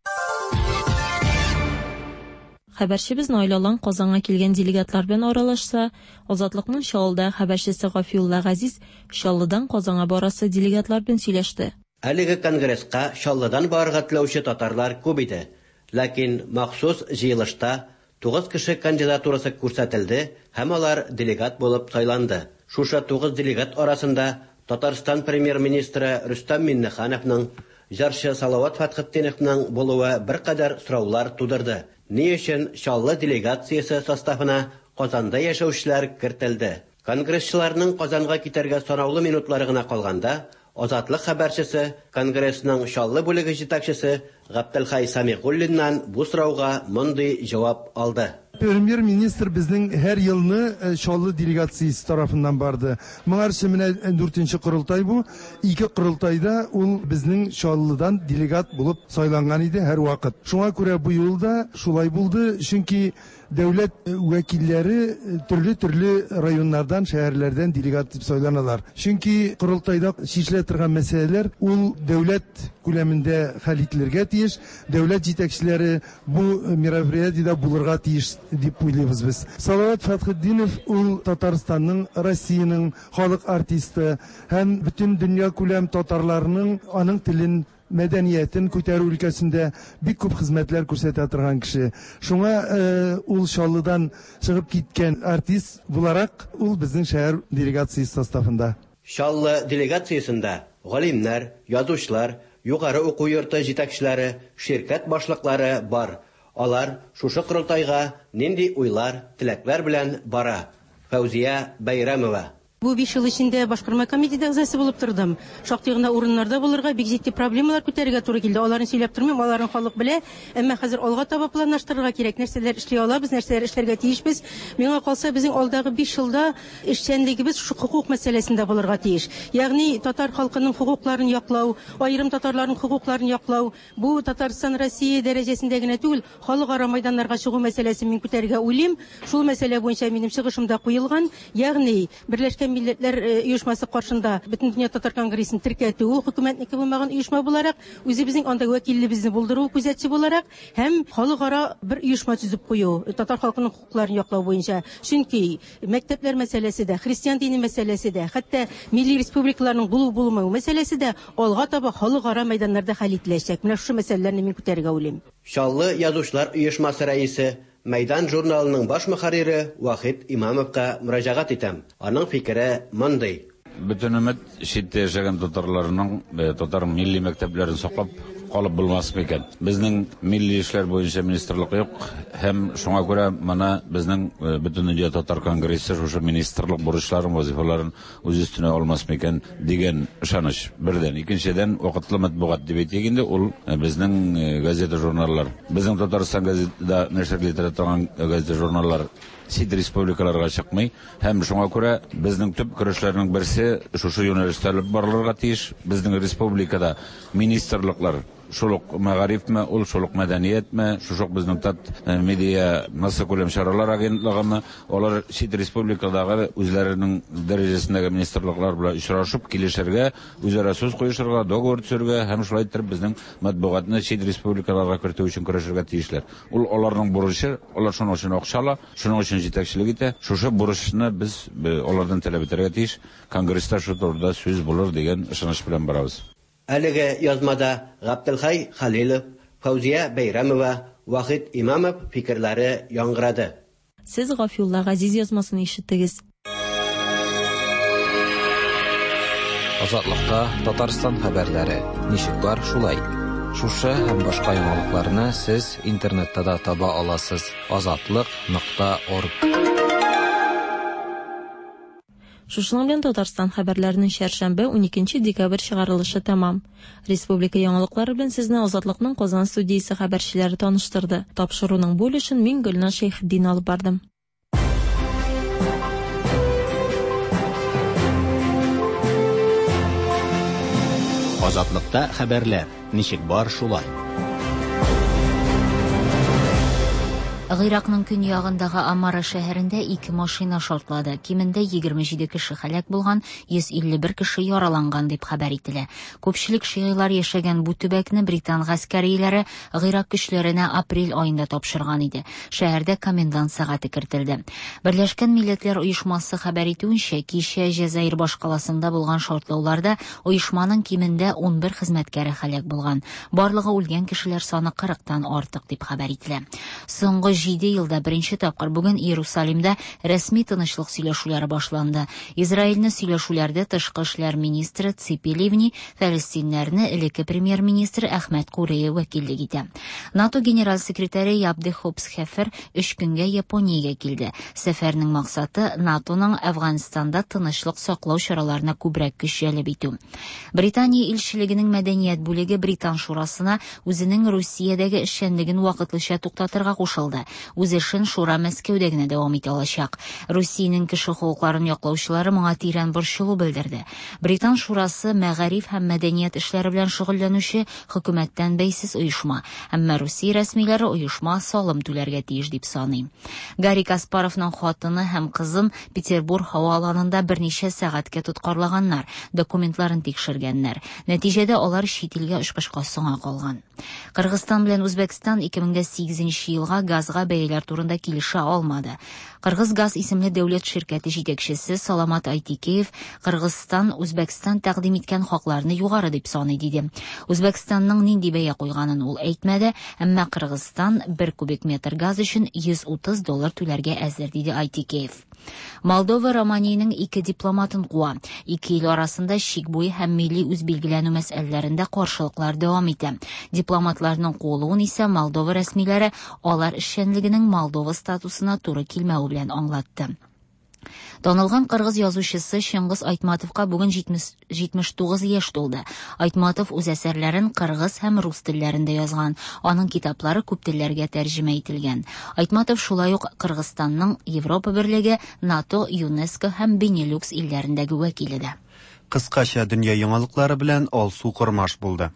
Хәбәрчебез Наил Алан Казанга килгән делегатлар белән аралашса, Азатлыкның Чаллыда хәбәрчесе Гафиулла Газиз Чаллыдан Казанга барасы делегатлар белән сөйләште. Әлеге конгресска Чаллыдан барырга теләүче татарлар күп иде. Ләкин махсус җыелышта тугыз кеше кандидатурасы күрсәтелде һәм алар делегат булып сайланды. Шушы тугыз делегат арасында Татарстан премьер-министры Рөстәм Миңнехановның, җырчы Салават Фәтхетдиновның булуы беркадәр сораулар тудырды. Ни өчен Чаллы делегациясе составына Казанда яшәүчеләр кертелде? Конгрессчыларның Казанга китәргә санаулы минутлары гына калганда, Азатлык хәбәрчесе, Конгрессның Чаллы бүлеге җитәкчесе Габделхай Самигуллиннан бу сорауга мондый җавап алды. Премьер-министр безнең һәр елны Чаллы делегациясе тарафыннан барды. Моңарчы менә дүртенче корылтай бу. Ике корылтайда ул безнең Чаллыдан делегат булып сайланган иде һәр вакыт. Шуңа күрә бу юлда шулай булды, чөнки дәүләт вәкилләре төрле-төрле районнардан, шәһәрләрдән делегат дип сайланалар. Чөнки корылтайда чишелә торган мәсьәләләр ул дәүләт күләмендә хәл ителергә тиеш, дәүләт җитәкчеләре бу мероприятиедә булырга тиеш дип уйлыйбыз без. Салават Фәтхетдинов ул Татарстанның, Россиянең халык артисты һәм бөтен дөнья күләм татарларының аның телен, мәдәниятен күтәрү өлкәсендә бик күп хезмәтләр күрсәтә торган кеше. Шуңа ул Чаллыдан чыгып киткән артист буларак ул безнең шәһәр делегациясе составында. Чаллы делегациясендә галимнәр, язучылар, югары уку йорты җитәкчеләре, ширкәт башлыклары бар. Алар шушы корылтайга нинди уйлар, теләкләр белән бара. Фәүзия Бәйрәмова. Бу биш ел эчендә башкарма комитеты әгъзасы булып тордым. Шактый гына урыннарда булырга, бик җитди проблемалар күтәрергә туры килде. Аларын сөйләп тормыйм, аларын халык белә. Әмма хәзер алга таба планлаштырырга кирәк. Нәрсәләр эшли алабыз, нәрсәләр эшләргә тиешбез. Миңа калса, безнең алдагы биш елда эшчәнлегебез шушы хукук мәсьәләсендә булырга тиеш. Ягъни татар халкының хукукларын яклау, аерым татарларның хукукларын яклау, бу Татарстан Россия дәрәҗәсендә генә түгел, халыкара майданнарга чыгу мәсьәләсен мин күтәрергә уйлыйм. Шул мәсьәлә буенча минем чыгышымда куелган, ягъни Берләшкән Милләтләр Оешмасы каршында Бөтендөнья татар конгрессын теркәтү, хөкүмәтнеке булмаган оешма буларак, үзебезнең анда вәкиллебезне булдыру, күзәтче буларак һәм халыкара бер оешма төзеп кую, татар халкының хукукларын яклау буенча. Чөнки мәктәпләр мәсьәләсе дә, христиан дине мәсьәләсе дә, хәтта милли республикаларның булу-булмау мәсьәләсе дә алга таба халыкара мәйданнарда хәл ителәчәк. Менә шушы мәсьәләләрне мин күтәрергә уйлыйм. Чаллы язучылар оешмасы рәисе, Мәйдан журналының баш мөхәррире Вахит Имамовка мөрәҗәгать итәм. Аның фикере мондый. Бөтен өмет читтә яшәгән татарларның татар милли мәктәпләрен саклап калып булмас микән? Безнең милли эшләр буенча министрлык юк һәм шуңа күрә моны безнең Бөтендөнья татар конгрессы шушы министрлык бурычларын, вазифаларын үз өстенә алмас микән дигән ышаныч. Бердән, икенчедән, вакытлы матбугат дип әйтик инде, ул безнең газета журналлар. Безнең Татарстан газетада нәшер ителә торган газета журналлар чит республикаларга чыкмый һәм шуңа күрә безнең төп көрәшләрнең берсе шушы юнәлештә алып барылырга тиеш. Безнең республикада министрлыклар шул ук мәгарифме, ул шул ук мәдәниятме, шушы ук безнең Татмедиа массакүләм чаралар агентлыгымы, алар чит республикадагы үзләренең дәрәҗәсендәге министрлыклар белән очрашып килешергә, үзара сүз куешырга, договор төзергә һәм шулай итеп безнең матбугатны чит республикаларга кертү өчен көрәшергә тиешләр. Ул аларның бурычы, алар шуның өчен акча ала, шуның өчен җитәкчелек итә. Шушы бурычны без алардан таләп итәргә тиеш. Конгресста шу турыда сүз булыр дигән ышаныч белән барабыз. Әлеге язмада Габделхай Халилов, Фәүзия Бәйрәмова, Вахит Имамов фикерләре яңгырады. Сез Гафиулла Газиз язмасын ишеттегез. Азатлыкта Татарстан хәбәрләре ничек бар шулай. Шушы һәм башка яңалыкларны сез интернетта да таба аласыз. азатлык нокта орг. Шушының белән Татарстан хәбәрләренең чәршәмбе уникенче декабрь чыгарылышы тәмам. Республика яңалыклары белән сезне Азатлыкның Казан студиясе хәбәрчеләре таныштырды. Тапшыруның бу өлешен мин Гөлназ Шәйхетдин алып бардым. Азатлыкта хәбәрләр ничек бар шулай. Гыйракның көньягындагы Амара шәһәрендә ике машина шартлады. Кимендә егерме җиде кеше һәлак булган, йөз илле бер кеше яраланган дип хәбәр ителә. Күпчелек шигыйлар яшәгән бу төбәкне британ гаскәриләре Гыйрак көчләренә апрель аенда тапшырган иде. Шәһәрдә комендант сәгате кертелде. Берләшкән Милләтләр Оешмасы хәбәр итүенчә, кичә Җәзаир башкаласында булган шартлауларда оешманың кимендә ун бер хезмәткәре һәлак булган. Барлыгы үлгән кешеләр саны кырыктан артык дип хәбәр ителә. Соңгы җиде елда беренче тапкыр бүген Иерусалимда рәсми тынычлык сөйләшүләре башланды. Израильне сөйләшүләрдә тышкы эшләр министры Ципи Ливни, фәлестиннәрне элекке премьер-министр Әхмәт Куреев вәкиллек итә. НАТО генераль секретаре Яб де Хопсхефер өч көнгә Япониягә килде. Сәфәрнең максаты НАТОның Әфганстанда тынычлык саклау чараларына күбрәк көч җәлеп итү. Британия илчелегенең мәдәният бүлеге Британ шурасына үзенең Русиядәге эшчәнлеген вакытлыча туктатырга кушылды. Үз эшен шура Мәскәүдә генә дәвам итә алачак. Русиянең кеше хокукларын яклаучылары моңа тирән борчылу белдерде. Британ шурасы мәгариф һәм мәдәният эшләре белән шөгыльләнүче хөкүмәттән бәйсез оешма. Әмма Русия рәсмиләре оешма салым түләргә тиеш дип саный. Гарри Каспаровның хатыны һәм кызын Петербург һава аланында берничә сәгатькә тоткарлаганнар, документларын тикшергәннәр. Нәтиҗәдә алар чит илгә очкычка соңа калган. Кыргызстан белән Үзбәкстан ике мең сигезенче елга газга бәяләр турында килешә алмады. Кыргыз газ исемле дәүләт ширкәте җитәкчесе Саламат Айтикеев Кыргызстан Үзбәкстан тәкъдим иткән хакларны югары дип саный диде. Үзбәкстанның нинди бәя куйганын ул әйтмәде, әмма Кыргызстан бер кубик метр газ өчен йөз утыз доллар түләргә әзер диде Айтикеев. Молдова Романияның ике дипломатын куа. Ике ил арасында чик буе һәм милли үзбилгеләнү мәсьәләләрендә каршылыклар дәвам итә. Дипломатларның куылуын исә Молдова рәсмиләре алар эшчәнлегенең Молдова статусына туры килмәве белән аңлатты. Танылган кыргыз язучысы Чыңгыз Айтматовка бүген җитмеш тугыз яшь тулды. Айтматов үз әсәрләрен кыргыз һәм рус телләрендә язган. Аның китаплары күп телләргә тәрҗемә ителгән. Айтматов шулай ук Кыргызстанның Европа Берлеге, НАТО, ЮНЕСКО һәм Бенилюкс илләрендәге вәкиле дә. Кыскача дөнья яңалыклары белән Алсу Кормаш булды.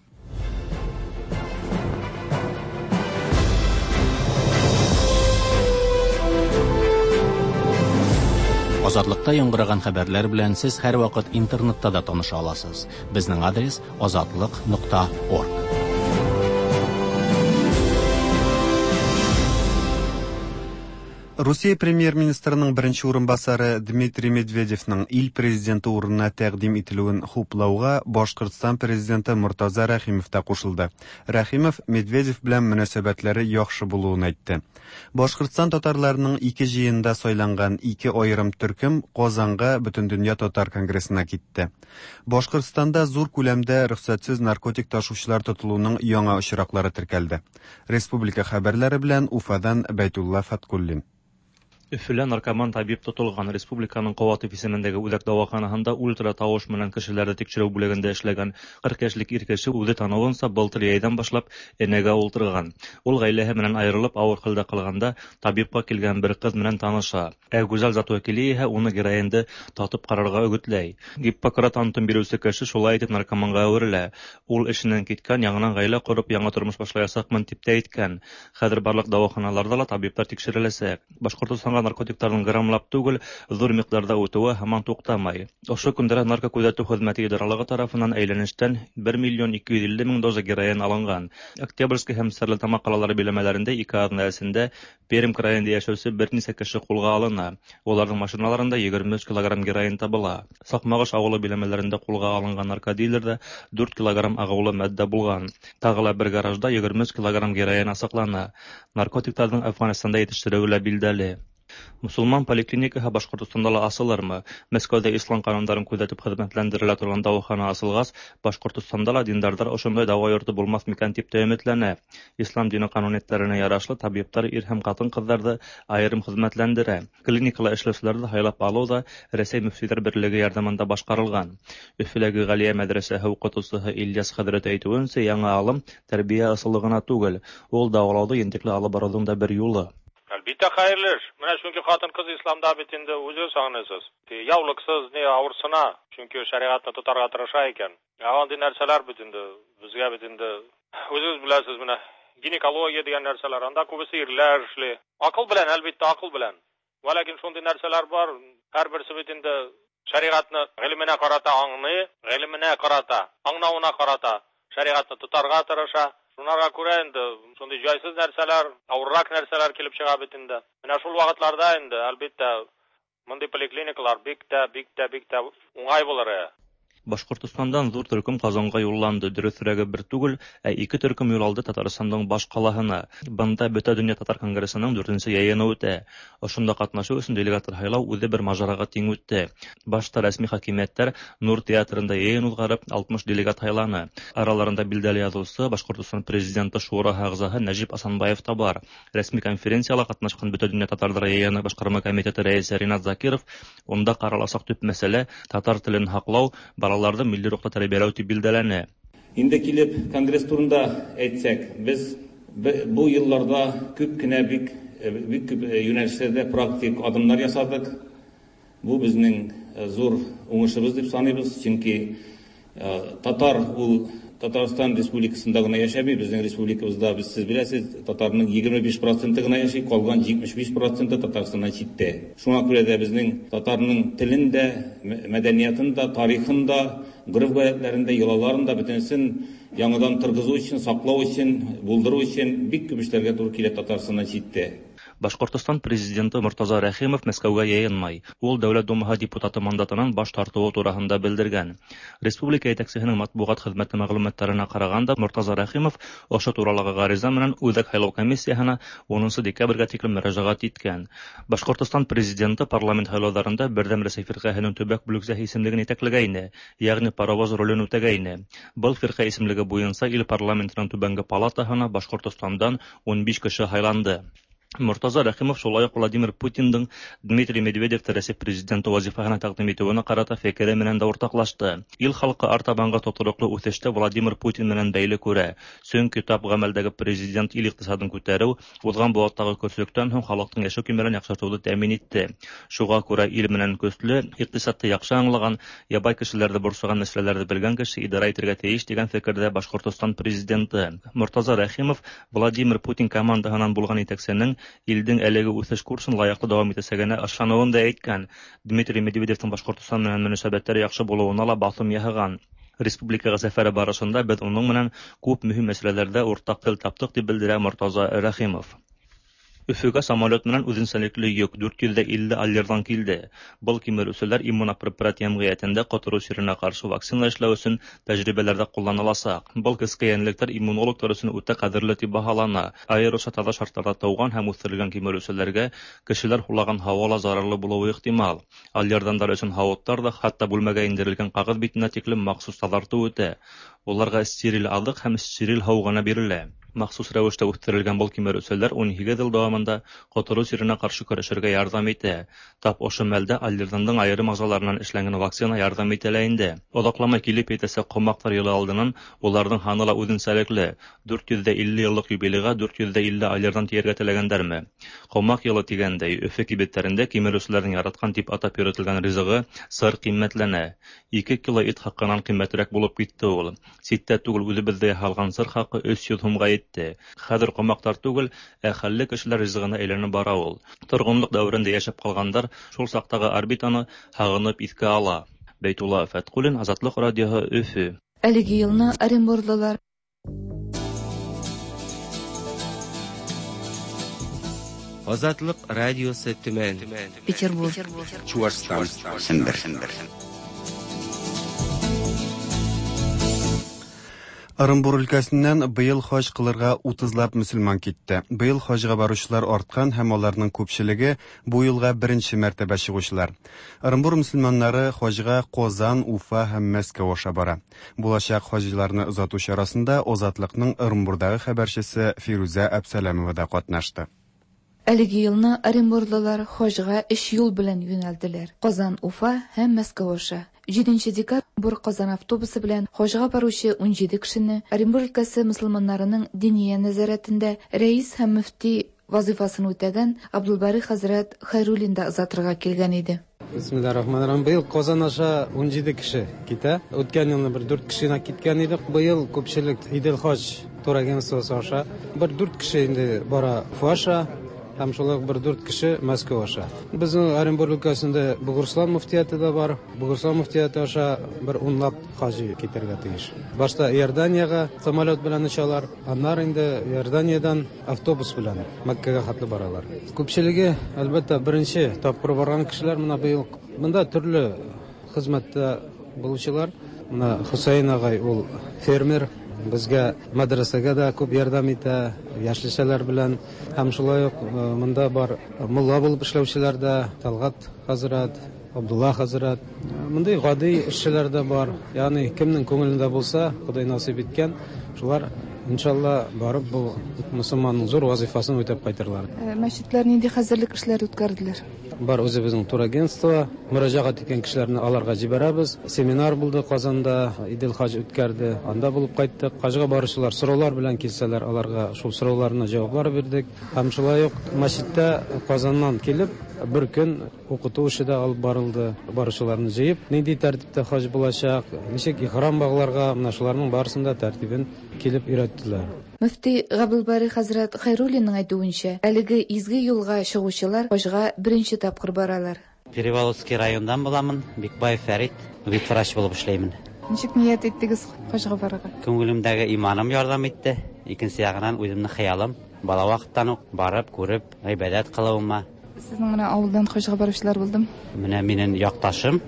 Азатлыкта яңгыраган хәбәрләр белән сез һәрвакыт интернетта да таныша аласыз. Безнең адрес азатлык нокта орг. Русия премьер-министрының беренче урынбасары Дмитрий Медведевның ил президенты урынына тәкъдим ителүен хуплауга Башкортстан президенты Мортаза Рәхимов та кушылды. Рәхимов Медведев белән мөнәсәбәтләре яхшы булуын әйтте. Башкортстан татарларының ике җыенында сайланган ике аерым төркем Казанга Бөтендөнья татар конгрессына китте. Башкортстанда зур күләмдә рөхсәтсез наркотик ташучылар тотылуның яңа очраклары теркәлде. Республика хәбәрләре белән Уфадан Бәйтулла Фаткуллин. Өфөлә наркоман табиб тотылган. Республиканың Ҡыуатов исемендәге үҙәк дауаханаһында ультра тауыш менән кешеләрҙе тикшереү бүлегендә эшләгән ҡырҡ йәшлек ир кеше үҙе таныуынса былтыр йәйҙән башлап энәгә ултырған. Ул ғаиләһе менән айырылып ауыр хәлдә ҡалғанда табипҡа килгән бер ҡыҙ менән таныша. Ә гүзәл зат вәкиле иһә уны героинды татып ҡарарға өгөтләй. Гиппократ антын биреүсе кеше шулай итеп наркоманға әүерелә. Ул эшенән киткән, яңынан ғаилә ҡороп, яңы тормош башлаясаҡмын тип тә әйткән. Хәҙер барлыҡ дауаханаларҙа ла табиптар тикшереләсәк. Башҡортостанға наркотиктарҙың граммлап түгел, ҙур миҡдарҙа үтеүе һаман туҡтамай. Ошо көндәрҙә наркокүҙәтеү хеҙмәте идаралығы тарафынан әйләнештән бер миллион ике йөҙ илле мең доза героин алынған. Октябрьский һәм Стәрлетамаҡ ҡалалары биләмәләрендә ике аҙна эсендә Пермь крайында йәшәүсе бер нисә кеше ҡулға алына. Уларҙың машиналарында егерме өс килограмм героин табыла. Саҡмағыш ауылы биләмәләрендә ҡулға алынған наркодилерҙә дүрт килограмм ағыулы матдә булған. Тағы ла бер гаражда егерме өс килограмм героин асыҡлана. Наркотиктарҙың Афғанстанда етештереүе лә билдәле. Мосолман поликлиникаһы Башҡортостанда ла асылырмы? Мәскәүҙә ислам ҡанундарын күҙәтеп хеҙмәтләндерелә торған дауахана асылғас, Башҡортостанда ла диндарҙар ошондай дауа йорто булмаҫ микән тип тә өмөтләнә. Ислам дине ҡануниәттәренә ярашлы табиптар ир һәм ҡатын-ҡыҙҙарҙы айырым хеҙмәтләндерә. Клиникала эшләүселәрҙе һайлап алыу ҙа Рәсәй мөфтөйҙәр берлеге ярҙамында башҡарылған. Өфөләге Ғәлиә мәҙрәсәһе уҡытыусыһы Ильяс хәҙрәт әйтеүенсә, яңы алым тәрбиә ысулы ғына түгел, ул дауалауҙы ентекле алып барыуҙың да бер юлы. Әлбиттә хәйерле эш. Менә чөнки хатын-кыз исламда бит инде үзегез аңлыйсыз. Яулыксыз ни авырсына, чөнки шәриғатны тотарга тырыша икән. Ә андый нәрсәләр бит инде безгә бит инде үзегез беләсез, менә гинекология дигән нәрсәләр, анда күбесе ирләр эшли. Акыл белән, әлбиттә, акыл белән. Вәләкин шундый нәрсәләр бар, һәрберсе бит инде шәриғатны гыйлеменә карата аңлый, гыйлеменә карата, аңлавына карата шәриғатны тотарга тырыша. Шунарға күрә инде шундый җайсыз нәрсәләр, авыррак нәрсәләр килеп чыга бит инде. Менә шул вакытларда инде, әлбиттә, мондый поликлиникалар бик тә, бик тә, бик тә уңай булыр. Башҡортостандан ҙур төркөм Ҡазанға юлланды. Дөрөҫөрәге бер түгел, ә ике төркөм юл алды Татарстандың баш ҡалаһына. Бында Бөтә донъя татар конгрессының дүртенсе йыйыны үтә. Ошонда ҡатнашыу өсөн делегаттар һайлау үҙе бер мажараға тиң үтте. Башта рәсми хакимиәттәр Нур театрында йыйын уҙғарып, алтмыш делегат һайланы. Араларында билдәле яҙыусы, Башҡортостан президенты шураһы ағзаһы Нәжип Асанбаев та бар. Рәсми конференцияла ҡатнашҡан Бөтә донъя татарҙары йыйыны башҡарма комитеты рәйесе Ринат Закиров унда ҡараласаҡ төп мәсьәлә татар телен һаҡлау, балаларҙы милли рухта тәрбиәләү тип билдәләне. Инде килеп конгресс турында әйтсәк, без бу йылларда күп кенә бик бик күп юнәлешләрдә практик адымнар ясадык. Бу безнең зур уңышыбыз дип саныйбыз, чөнки татар ул Татарстан Республикасында гына яшәми, безнең республикабызда без сез беләсез, татарның егерме биш проценты гына яши, калган җитмеш биш проценты Татарстаннан читтә. Шуңа күрә дә безнең татарның телен дә, мәдәниятын да, тарихын да, гореф-гадәтләрен дә, йолаларын да бөтенесен яңадан торгызу өчен, саклау өчен, булдыру өчен бик күп эшләргә туры килә Татарстаннан читтә. Башҡортостан президенты Мортаза Рәхимов Мәскәүгә йыйынмай. Ул Дәүләт Думаһы депутаты мандатынан баш тартыуы тураһында белдергән. Республика етәксеһенең матбуғат хеҙмәте мәғлүмәттәренә ҡарағанда, Мортаза Рәхимов ошо туралағы ғариза менән Үҙәк һайлау комиссияһына унынсы декабргә тиклем мөрәжәғәт иткән. Башҡортостан президенты парламент һайлауҙарында Берҙәм Рәсәй фирҡәһенең төбәк бүлексәһе исемлеген етәкләгәйне, йәғни паровоз ролен үтәгәйне. Был фирҡә исемлеге буйынса ил парламентының түбәнге палатаһына Башҡортостандан ун биш кеше һайланды. Мортаза Рәхимов шулай уҡ Владимир Путиндың Дмитрий Медведевте Рәсәй президенты вазифаһына тәҡдим итеүенә ҡарата фекере менән дә уртаҡлашты. Ил халҡы артабанғы тотороҡло үҫеште Владимир Путин менән бәйле күрә. Сөнки тап ғәмәлдәге президент ил иҡтисадын күтәреү, уҙған быуаттағы көрсөктән һуң халыҡтың йәшәү кимәлен яҡшыртыуҙы тәьмин итте. Шуға күрә ил менән көслө, иҡтисадты яҡшы аңлаған, ябай кешеләрҙе борсоған мәсьәләләрҙе белгән кеше идара итергә тейеш тигән фекерҙә Башҡортостан президенты. Мортаза Рәхимов Владимир Путин командаһынан булған етәксенең илдең әлеге үҫеш курсын лаяҡлы дауам итәсәгенә ышаныуын да әйткән. Дмитрий Медведевтың Башҡортостан менән мөнәсәбәттәре яҡшы булыуына ла баҫым яһаған. Республикаға сәфәре барышында беҙ уның менән күп мөһим мәсьәләләрҙә уртаҡ тел таптыҡ, тип белдерә Мортаза Рәхимов. Өфөгә самолет менән үҙенсәлекле йөк дүрт йөҙ илле аллерҙан килде. Был кимереүселәр иммунопрепарат йәмғиәтендә ҡотороу сиренә ҡаршы вакцина эшләү өсөн тәжрибәләрҙә ҡулланыласаҡ. Был кескәй йәнлектәр иммунологтар өсөн үтә ҡәҙерле тип баһалана. Айырыуса таҙа шарттарҙа тыуған һәм үҫтерелгән кимереүселәргә кешеләр һулаған һауа ла зарарлы булыуы ихтимал. Аллердандар өсөн һауыттар ҙа, хатта бүлмәгә индерелгән ҡағыҙ битенә тиклем махсус таҙартыу үтә. Уларға стерил аҙыҡ һәм стерил һыу ғына бирелә. Махсус рәвештә үҫтерелгән был кимереүселәр ун һигеҙ йыл дауамында ҡотороу сиренә ҡаршы көрәшергә ярҙам итә. Тап ошо мәлдә алйырҙандың айырым ағзаларынан эшләнгән вакцина ярҙам итә лә инде. Оҙаҡламай килеп етәсәк ҡомаҡтар йылы алдынан уларҙың һаны ла үҙенсәлекле. Дүрт йөҙ ҙә илле йыллыҡ юбилейға дүрт йөҙ ҙә илле алйырҙан тейергә теләгәндәрме? Ҡомаҡ йылы тигәндәй, Өфө кибеттәрендә кимереүселәрҙең яратҡан тип атап йөрөтөлгән ризығы сыр ҡиммәтләнә. Ике кило ит хаҡынан ҡиммәтерәк булып китте ул. Ситтә түгел, үҙебеҙҙә яһалған сыр хаҡы өс йөҙ һумға етте. Хәҙер ҡомаҡтар түгел, ә хәлле кешеләр ризығына әйләнеп бара ул. Торғонлоҡ дәүерендә йәшәп ҡалғандар шул саҡтағы орбитаны һағынып иҫкә ала. Бәйтулла Фәтҡуллин, Азатлыҡ радиоһы, Өфө. Әлеге йылны оренбурлылар Азатлыҡ радиосы Төмән, Петербург, Чуашстан, Сембер. Ырымбур өлкәсеннән быел хаҗ кылырга утызлап мөселман китте. Быел хаҗга баручылар арткан һәм аларның күпчелеге бу елга беренче мәртәбә чыгучылар. Ырымбур мөселманнары хаҗга Казан, Уфа һәм Мәскәү аша бара. Булачак хаҗиларны озату чарасында Азатлыкның Ырымбурдагы хәбәрчесе Фирүзә Әбсәләмова да катнашты. Әлеге елны оренбурлылар хаҗга өч юл белән юнәлделәр: Казан, Уфа һәм Мәскәү аша. Җиденче декабрь Казан автобусы белән хаҗга баручы ун җиде кешене Оренбур өлкәсе мөселманнарының диния нәзарәтендә рәис һәм мөфти вазифасын үтәгән Абдулбари хәзрәт Хайруллин да озатырга килгән иде. Бисмиллахир-рахманир-рахим. Быел Казан аша ун җиде кеше китә. Үткән елны бер дүрт кеше генә киткән иде. Быел күпчелек Идел хаҗ турагентствосы аша. Бер дүрт кеше инде бара Уфа аша. Һәм шулай ук бер дүрт кеше Мәскәү аша. Безнең Оренбур өлкәсендә Бугурслан мөфтияте дә бар. Бугурслан мөфтияте аша бер унлап хаҗи китәргә тиеш. Башта Иорданиягә самолет белән очалар, аннары инде Иорданиядән автобус белән Мәккәгә хәтле баралар. Күпчелеге, әлбәттә, беренче тапкыр барган кешеләр менә быел монда төрле хезмәттә булучылар. Менә Хусейн агай ул фермер, безгә мәдрәсәгә дә күп ярдәм итә, яшелчәләр белән. Һәм шулай ук монда бар мулла булып эшләүчеләр дә, Талгат хәзрәт, Абдулла хәзрәт. Мондай гади эшчеләр дә бар. Ягъни кемнең күңелендә булса, Ходай насыйп иткән, шулар иншалла барып бу мөселманның зур вазифасын үтәп кайтырлар. Мәчетләр нинди хәзерлек эшләре үткәрделәр? Бар үзебезнең турагентство, мөрәҗәгать иткән кешеләрне аларга җибәрәбез. Семинар булды Казанда, Идел хаҗ үткәрде, анда булып кайттык. Хаҗга баручылар сораулар белән килсәләр, аларга шул сорауларына җаваплар бирдек. Һәм шулай ук мәчеттә Казаннан килеп бер көн укыту эше дә алып барылды. Баручыларны җыеп, нинди тәртиптә хаҗ булачак, ничек ихрам багларга, менә шуларның барысын да тәртибен килеп өйрәттеләр. Мөфти Габдулбари хәзрәт Хайруллинның әйтүенчә, әлеге изге юлга чыгучылар хаҗга беренче тапкыр баралар. Переволоцкий райондан буламын, Бикбаев Фәрит, ветврач булып эшләймен. Ничек ният иттегез хаҗга барырга? Күңелемдәге иманым ярдәм итте. Икенче ягынан үземнең хыялым, бала вакыттан ук барып, күреп, гыйбадәт кылуыма. Сезнең менә авылдан хаҗга баручылар булдымы? Менә минем якташым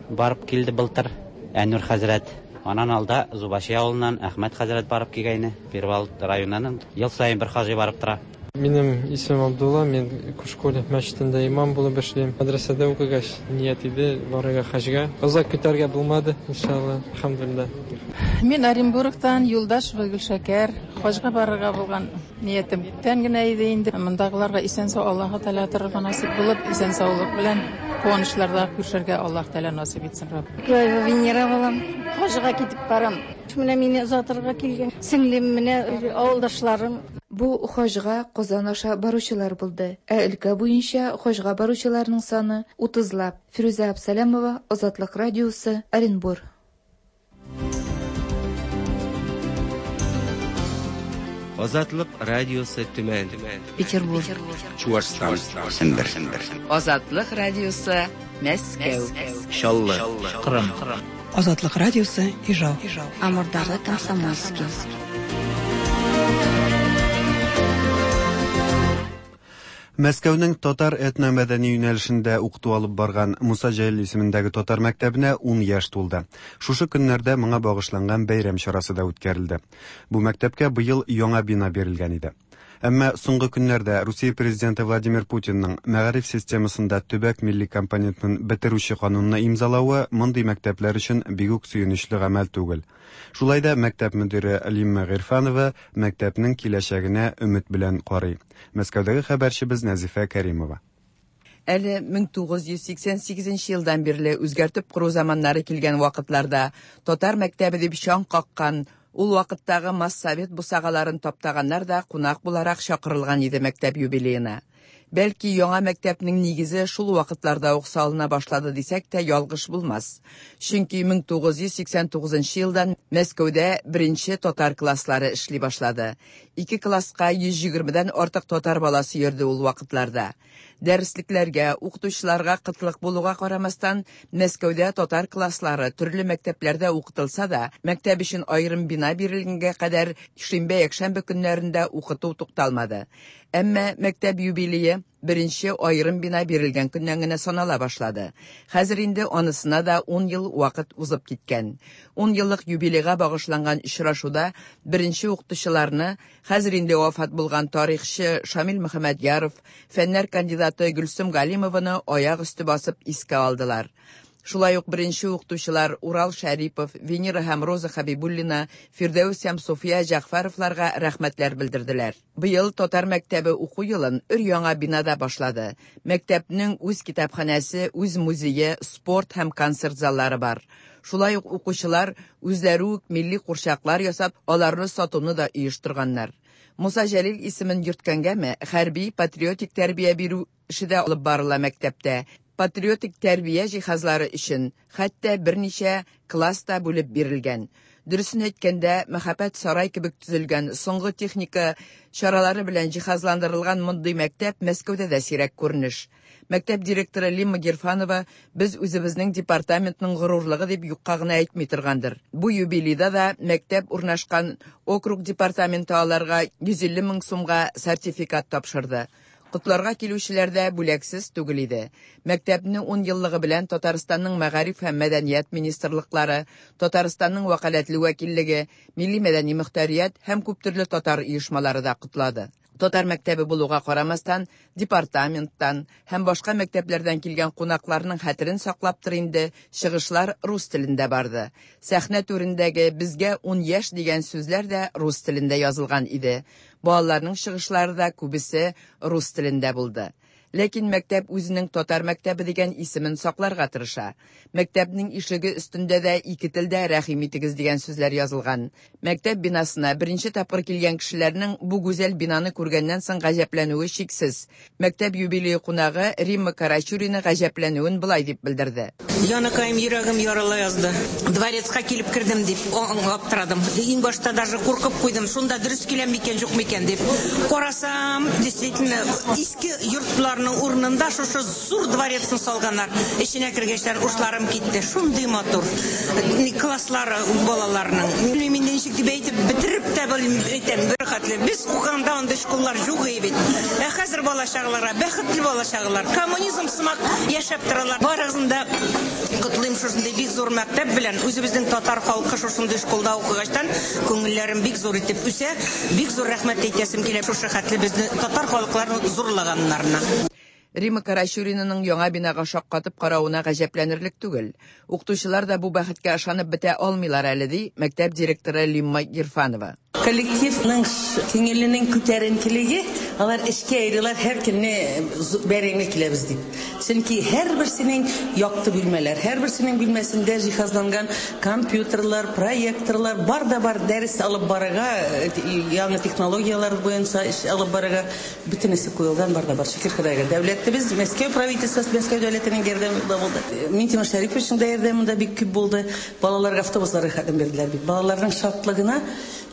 барып килде былтыр, Әнур хәзрәт. Анан алда Зубаши авылыннан Әхмәт хәзрәт барып килгәйне. Перевал районыннан ел саен бер хаҗи барып тора. Минем исемем Абдулла, мин Кушколе мәчетендә имам булып эшлим. Мәдрәсәдә укыгач ният иде барырга хаҗга. Озак көтәргә булмады, иншалла, алхамдулилла. Мин Оренбургтан Юлдашева Гөлшәкәр, хаҗга барырга булган ниятем күптән генә иде инде. Мондагыларга исән-сау Аллаһы Тәгалә торырга насыйп булып, исән-саулык белән куанычларда күрешергә Аллаһ Тәгалә насыйп итсен, Раббым. Краева Венера булам. Хаҗга китеп барам. Менә мине озатырга килгән сеңлем, менә авылдашларым. Бу хаҗга Казан аша баручылар булды. Ә өлкә буенча хаҗга баручыларның саны утызлап. Фирүзә Әбсәләмова, Азатлык радиосы, Оренбур. Азатлык радиосы Төмән, Петербург, Чуашстан, Сембер. Азатлык радиосы Мәскәү, Чаллы, Кырым. Азатлык радиосы Ижау. Амурдагы Комсомольский. Мәскәүнең татар этномәдәни юнәлешендә укыту алып барган Муса Җәлил исемендәге татар мәктәбенә ун яшь тулды. Шушы көннәрдә моңа багышланган бәйрәм чарасы да үткәрелде. Бу мәктәпкә быел яңа бина бирелгән иде. Әмма соңгы көннәрдә Русия президенты Владимир Путинның мәгариф системасында төбәк милли компонентын бетерүче канунны имзалавы мондый мәктәпләр өчен бик үк сөенечле гамәл түгел. Шулай да мәктәп мөдире Лимма Гыйрфанова мәктәпнең киләчәгенә өмет белән карый. Мәскәүдәге хәбәрчебез Нәзифә Кәримова. Әле мең тугыз йөз сиксән сигезенче елдан бирле үзгәртеп кору заманнары килгән вакытларда татар мәктәбе дип чаң каккан, ул вакыттагы массовет бусагаларын таптаганнар да кунак буларак чакырылган иде мәктәп юбилеена. Бәлки яңа мәктәпнең нигезе шул вакытларда ук салына башлады дисәк тә ялгыш булмас. Чөнки мең тугыз йөз сиксән тугызынчы елдан Мәскәүдә беренче татар класслары эшли башлады. Ике класска йөз егермедән артык татар баласы йөрде ул вакытларда. Дәреслекләргә, укытучыларга кытлык булуга карамастан, Мәскәүдә татар класслары төрле мәктәпләрдә укытылса да, мәктәп өчен аерым бина бирелгәнгә кадәр шимбә-якшәмбе көннәрендә укыту тукталмады. Әмма мәктәп юбилее беренче аерым бина бирелгән көннән генә санала башлады. Хәзер инде анысына да ун ел вакыт узып киткән. Ун еллык юбилейга багышланган очрашуда беренче укытучыларны хәзер инде вафат булган тарихчы Шамил Мөхәммәдьяров, фәннәр кандидаты Гөлсем Галимованы аяк өсте басып искә алдылар. Шулай ук беренче укытучылар Урал Шәрипов, Венера һәм Роза Хабибуллина, Фирдәүс һәм София Җәгъфәровларга рәхмәтләр белдерделәр. Быел татар мәктәбе уку елын өр-яңа бинада башлады. Мәктәпнең үз китапханәсе, үз музее, спорт һәм концерт заллары бар. Шулай ук укучылар үзләре үк милли курчаклар ясап, аларны сатуны да оештырганнар. Муса Җәлил исемен йөрткәнгәме, хәрби патриотик тәрбия бирү эше дә алып барыла мәктәптә. Патриотик тәрбия җиһазлары өчен хәтта берничә класс та бүлеп бирелгән. Дөресен әйткәндә, мәхәббәт сарай кебек төзелгән соңгы техника чаралары белән җиһазландырылган мондый мәктәп Мәскәүдә дә сирәк күренеш. Мәктәп директоры Лимма Гирфанова без үзебезнең департаментның горурлыгы дип юкка гына әйтми торгандыр. Бу юбилейда да мәктәп урнашкан округ департаменты аларга йөз илле мең сумга сертификат тапшырды. Котларга килүчеләр дә бүләксез түгел иде. Мәктәпне ун еллыгы белән Татарстанның Мәгариф һәм Мәдәният министрлыклары, Татарстанның вәкаләтле вәкиллеге, Милли мәдәни мөхтәрият һәм күптөрле татар оешмалары да котлады. Татар мәктәбе булуга карамастан, департаменттан һәм башка мәктәпләрдән килгән кунакларның хәтерен саклаптыр инде, чыгышлар рус телендә барды. Сәхнә түрендәге безгә ун яшь дигән сүзләр дә рус телендә язылган иде. Балаларның чыгышлары да күбесе рус телендә булды. Ләкин мәктәп үзенең татар мәктәбе дигән исемен сакларга тырыша. Мәктәпнең ишеге өстендә дә ике телдә рәхим итегез дигән сүзләр язылган. Мәктәп бинасына беренче тапкыр килгән кешеләрнең бу гүзәл бинаны күргәннән соң гаҗәпләнүе шиксез. Мәктәп юбилее кунагы Римма Карачурина гаҗәпләнүен былай дип белдерде. Яныкаем, йөрәгем ярыла язды. Дворецка килеп кердем дип аптырадым. Иң башта даже куркып куйдым. Шунда дөрес киләм микән, юк микән дип. Карасам, действительно, иске йортларның урынында шушы зур дворецны салганнар. Эченә кергәчләр ушларым китте. Шундый матур класслары балаларның. Мин ничек дип әйтеп бетереп тә белмим, әйтәм, бер хәтле. Без укыганда андый школлар юк иде бит. Ә хәзер бала чагаларга, бәхетле бала чагалар, коммунизм сымак яшәп торалар. Барыгызны да котлыйм шушындый бик зур мәктәп белән. Үзебезнең татар халкы шушындый школда укыгачтан күңелләрем бик зур итеп үсә. Бик зур рәхмәт әйтәсем килә шушы хәтле безне татар халыкларын зурлаганнарына. Римма Карачуринаның яңа бинага шаккатып каравына гаҗәпләнерлек түгел. Укытучылар да бу бәхеткә ышанып бетә алмыйлар әле, ди мәктәп директоры Лимма Гирфанова. Коллективның күңеленең күтәренкелеге, алар эшкә йөриләр, һәр көнне бәрәңге киләбез дип. Чөнки һәрберсенең якты бүлмәләр, һәрберсенең бүлмәсендә җиһазланган компьютерлар, проекторлар, бар да бар дәрес алып барырга, яңа технологияләр буенча эш алып барырга бөтенесе куелган, бар да бар. Шөкер Ходайга. Дәүләтебез, Мәскәү правительствосы, Мәскәү дәүләтенең ярдәме дә булды. Минтимер Шәриповичның да ярдәме дә бик күп булды. Балаларга автобуслар рәхәтен бирделәр бит. Балаларның шатлыгына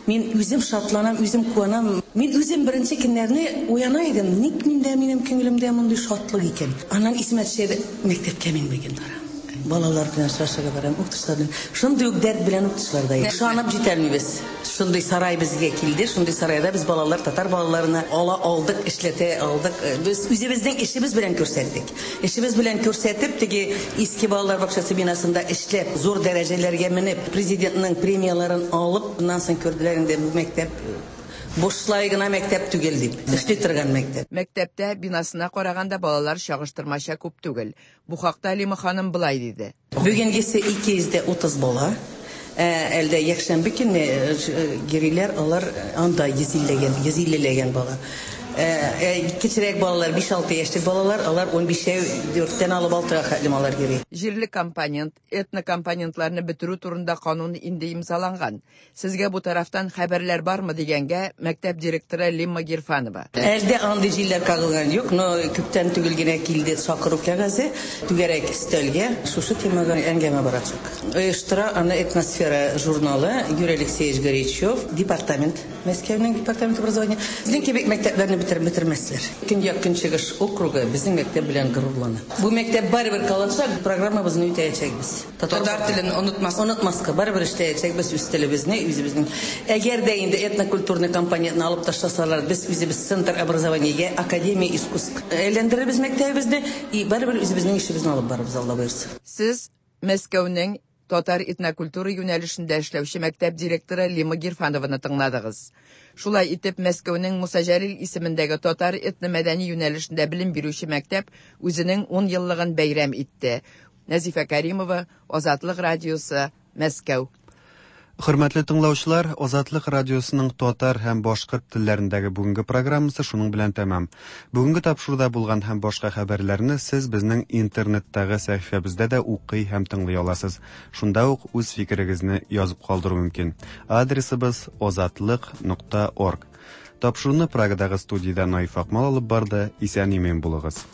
мин үзем шатланам, үзем куанам. Мин үзем беренче көннәрне уяна идем. Ник миндә, минем күңелемдә мондый шатлык икән? Аннан исемә төшә, мәктәпкә мин бүген барам. Балалар белән очрашырга барам, укытучылар белән. Шундый ук дәрт белән укытучылар да. Ышанып җитәлмибез. Шундый сарай безгә килде, шундый сарайда без балалар, татар балаларына ала алдык, эшләтә алдык. Без үзебезнең эшебез белән күрсәттек. Эшебез белән күрсәтеп, теге иске балалар бакчасы бинасында эшләп, зур дәрәҗәләргә менеп, президентның премияләрен алып, аннан соң күрделәр инде бу мәктәп Бушлай гына мәктәп түгел дип, эшли торган мәктәп. Мәктәптә бинасына караганда балалар чагыштырмача күп түгел. Бу хакта Лима ханым былай диде. Бүгенгесе ике йөз дә утыз бала. Әлдә якшәмбе көнне йөриләр, алар анда йөз иллегән, йөз иллеләгән бала. Кечерәк балалар, биш-алты яшьлек балалар, алар ун бишәү, дүрттән алып алтыга хәтлем алар йөри. Җирле компонент, этнокомпонентларны бетерү турында канун инде имзаланган. Сезгә бу тарафтан хәбәрләр бармы дигәнгә мәктәп директоры Лимма Гирфанова. Әлдә андый җилләр кагылган юк, но күптән түгел генә килде чакыру кәгазе, түгәрәк өстәлгә шушы темага әңгәмә барачак. Оештыра аны Этносфера журналы, Юрий Алексеевич Горячев, департамент, Мәскәүнең департамент образования. Безнең кебек мәктәпләрне бетермәсләр. Көньяк Көнчыгыш округы безнең мәктәп белән горурлана. Бу мәктәп барыбер калачак, программабызны үтәячәкбез. Татар телен онытмас, онытмаска, барыбер эшләячәкбез үз телебезне, үзебезнең. Әгәр дә инде этнокультурный компонентны алып ташласалар, без үзебез центр образования, академия искусств әйләндерербез мәктәбебезне и барыбер үзебезнең эшебезне алып барырбыз, Алла боерса. Сез Мәскәүнең татар этнокультура юнәлешендә эшләүче мәктәп директоры Лима Гирфанованы тыңладыгыз. Шулай итеп, Мәскәүнең Муса Җәлил исемендәге татар этномәдәни юнәлешендә белем бирүче мәктәп үзенең ун еллыгын бәйрәм итте. Нәзифә Каримова, Азатлык радиосы, Мәскәү. Хөрмәтле тыңлаучылар, Азатлык радиосының татар һәм башкорт телләрендәге бүгенге программасы шуның белән тәмам. Бүгенге тапшыруда булган һәм башка хәбәрләрне сез безнең интернеттагы сәхифәбездә дә укый һәм тыңлый аласыз. Шунда ук үз фикерегезне язып калдыру мөмкин. Адресыбыз азатлык нокта орг. Тапшыруны Прагадагы студияда Наиф Акмал алып барды. Исән-имин булыгыз.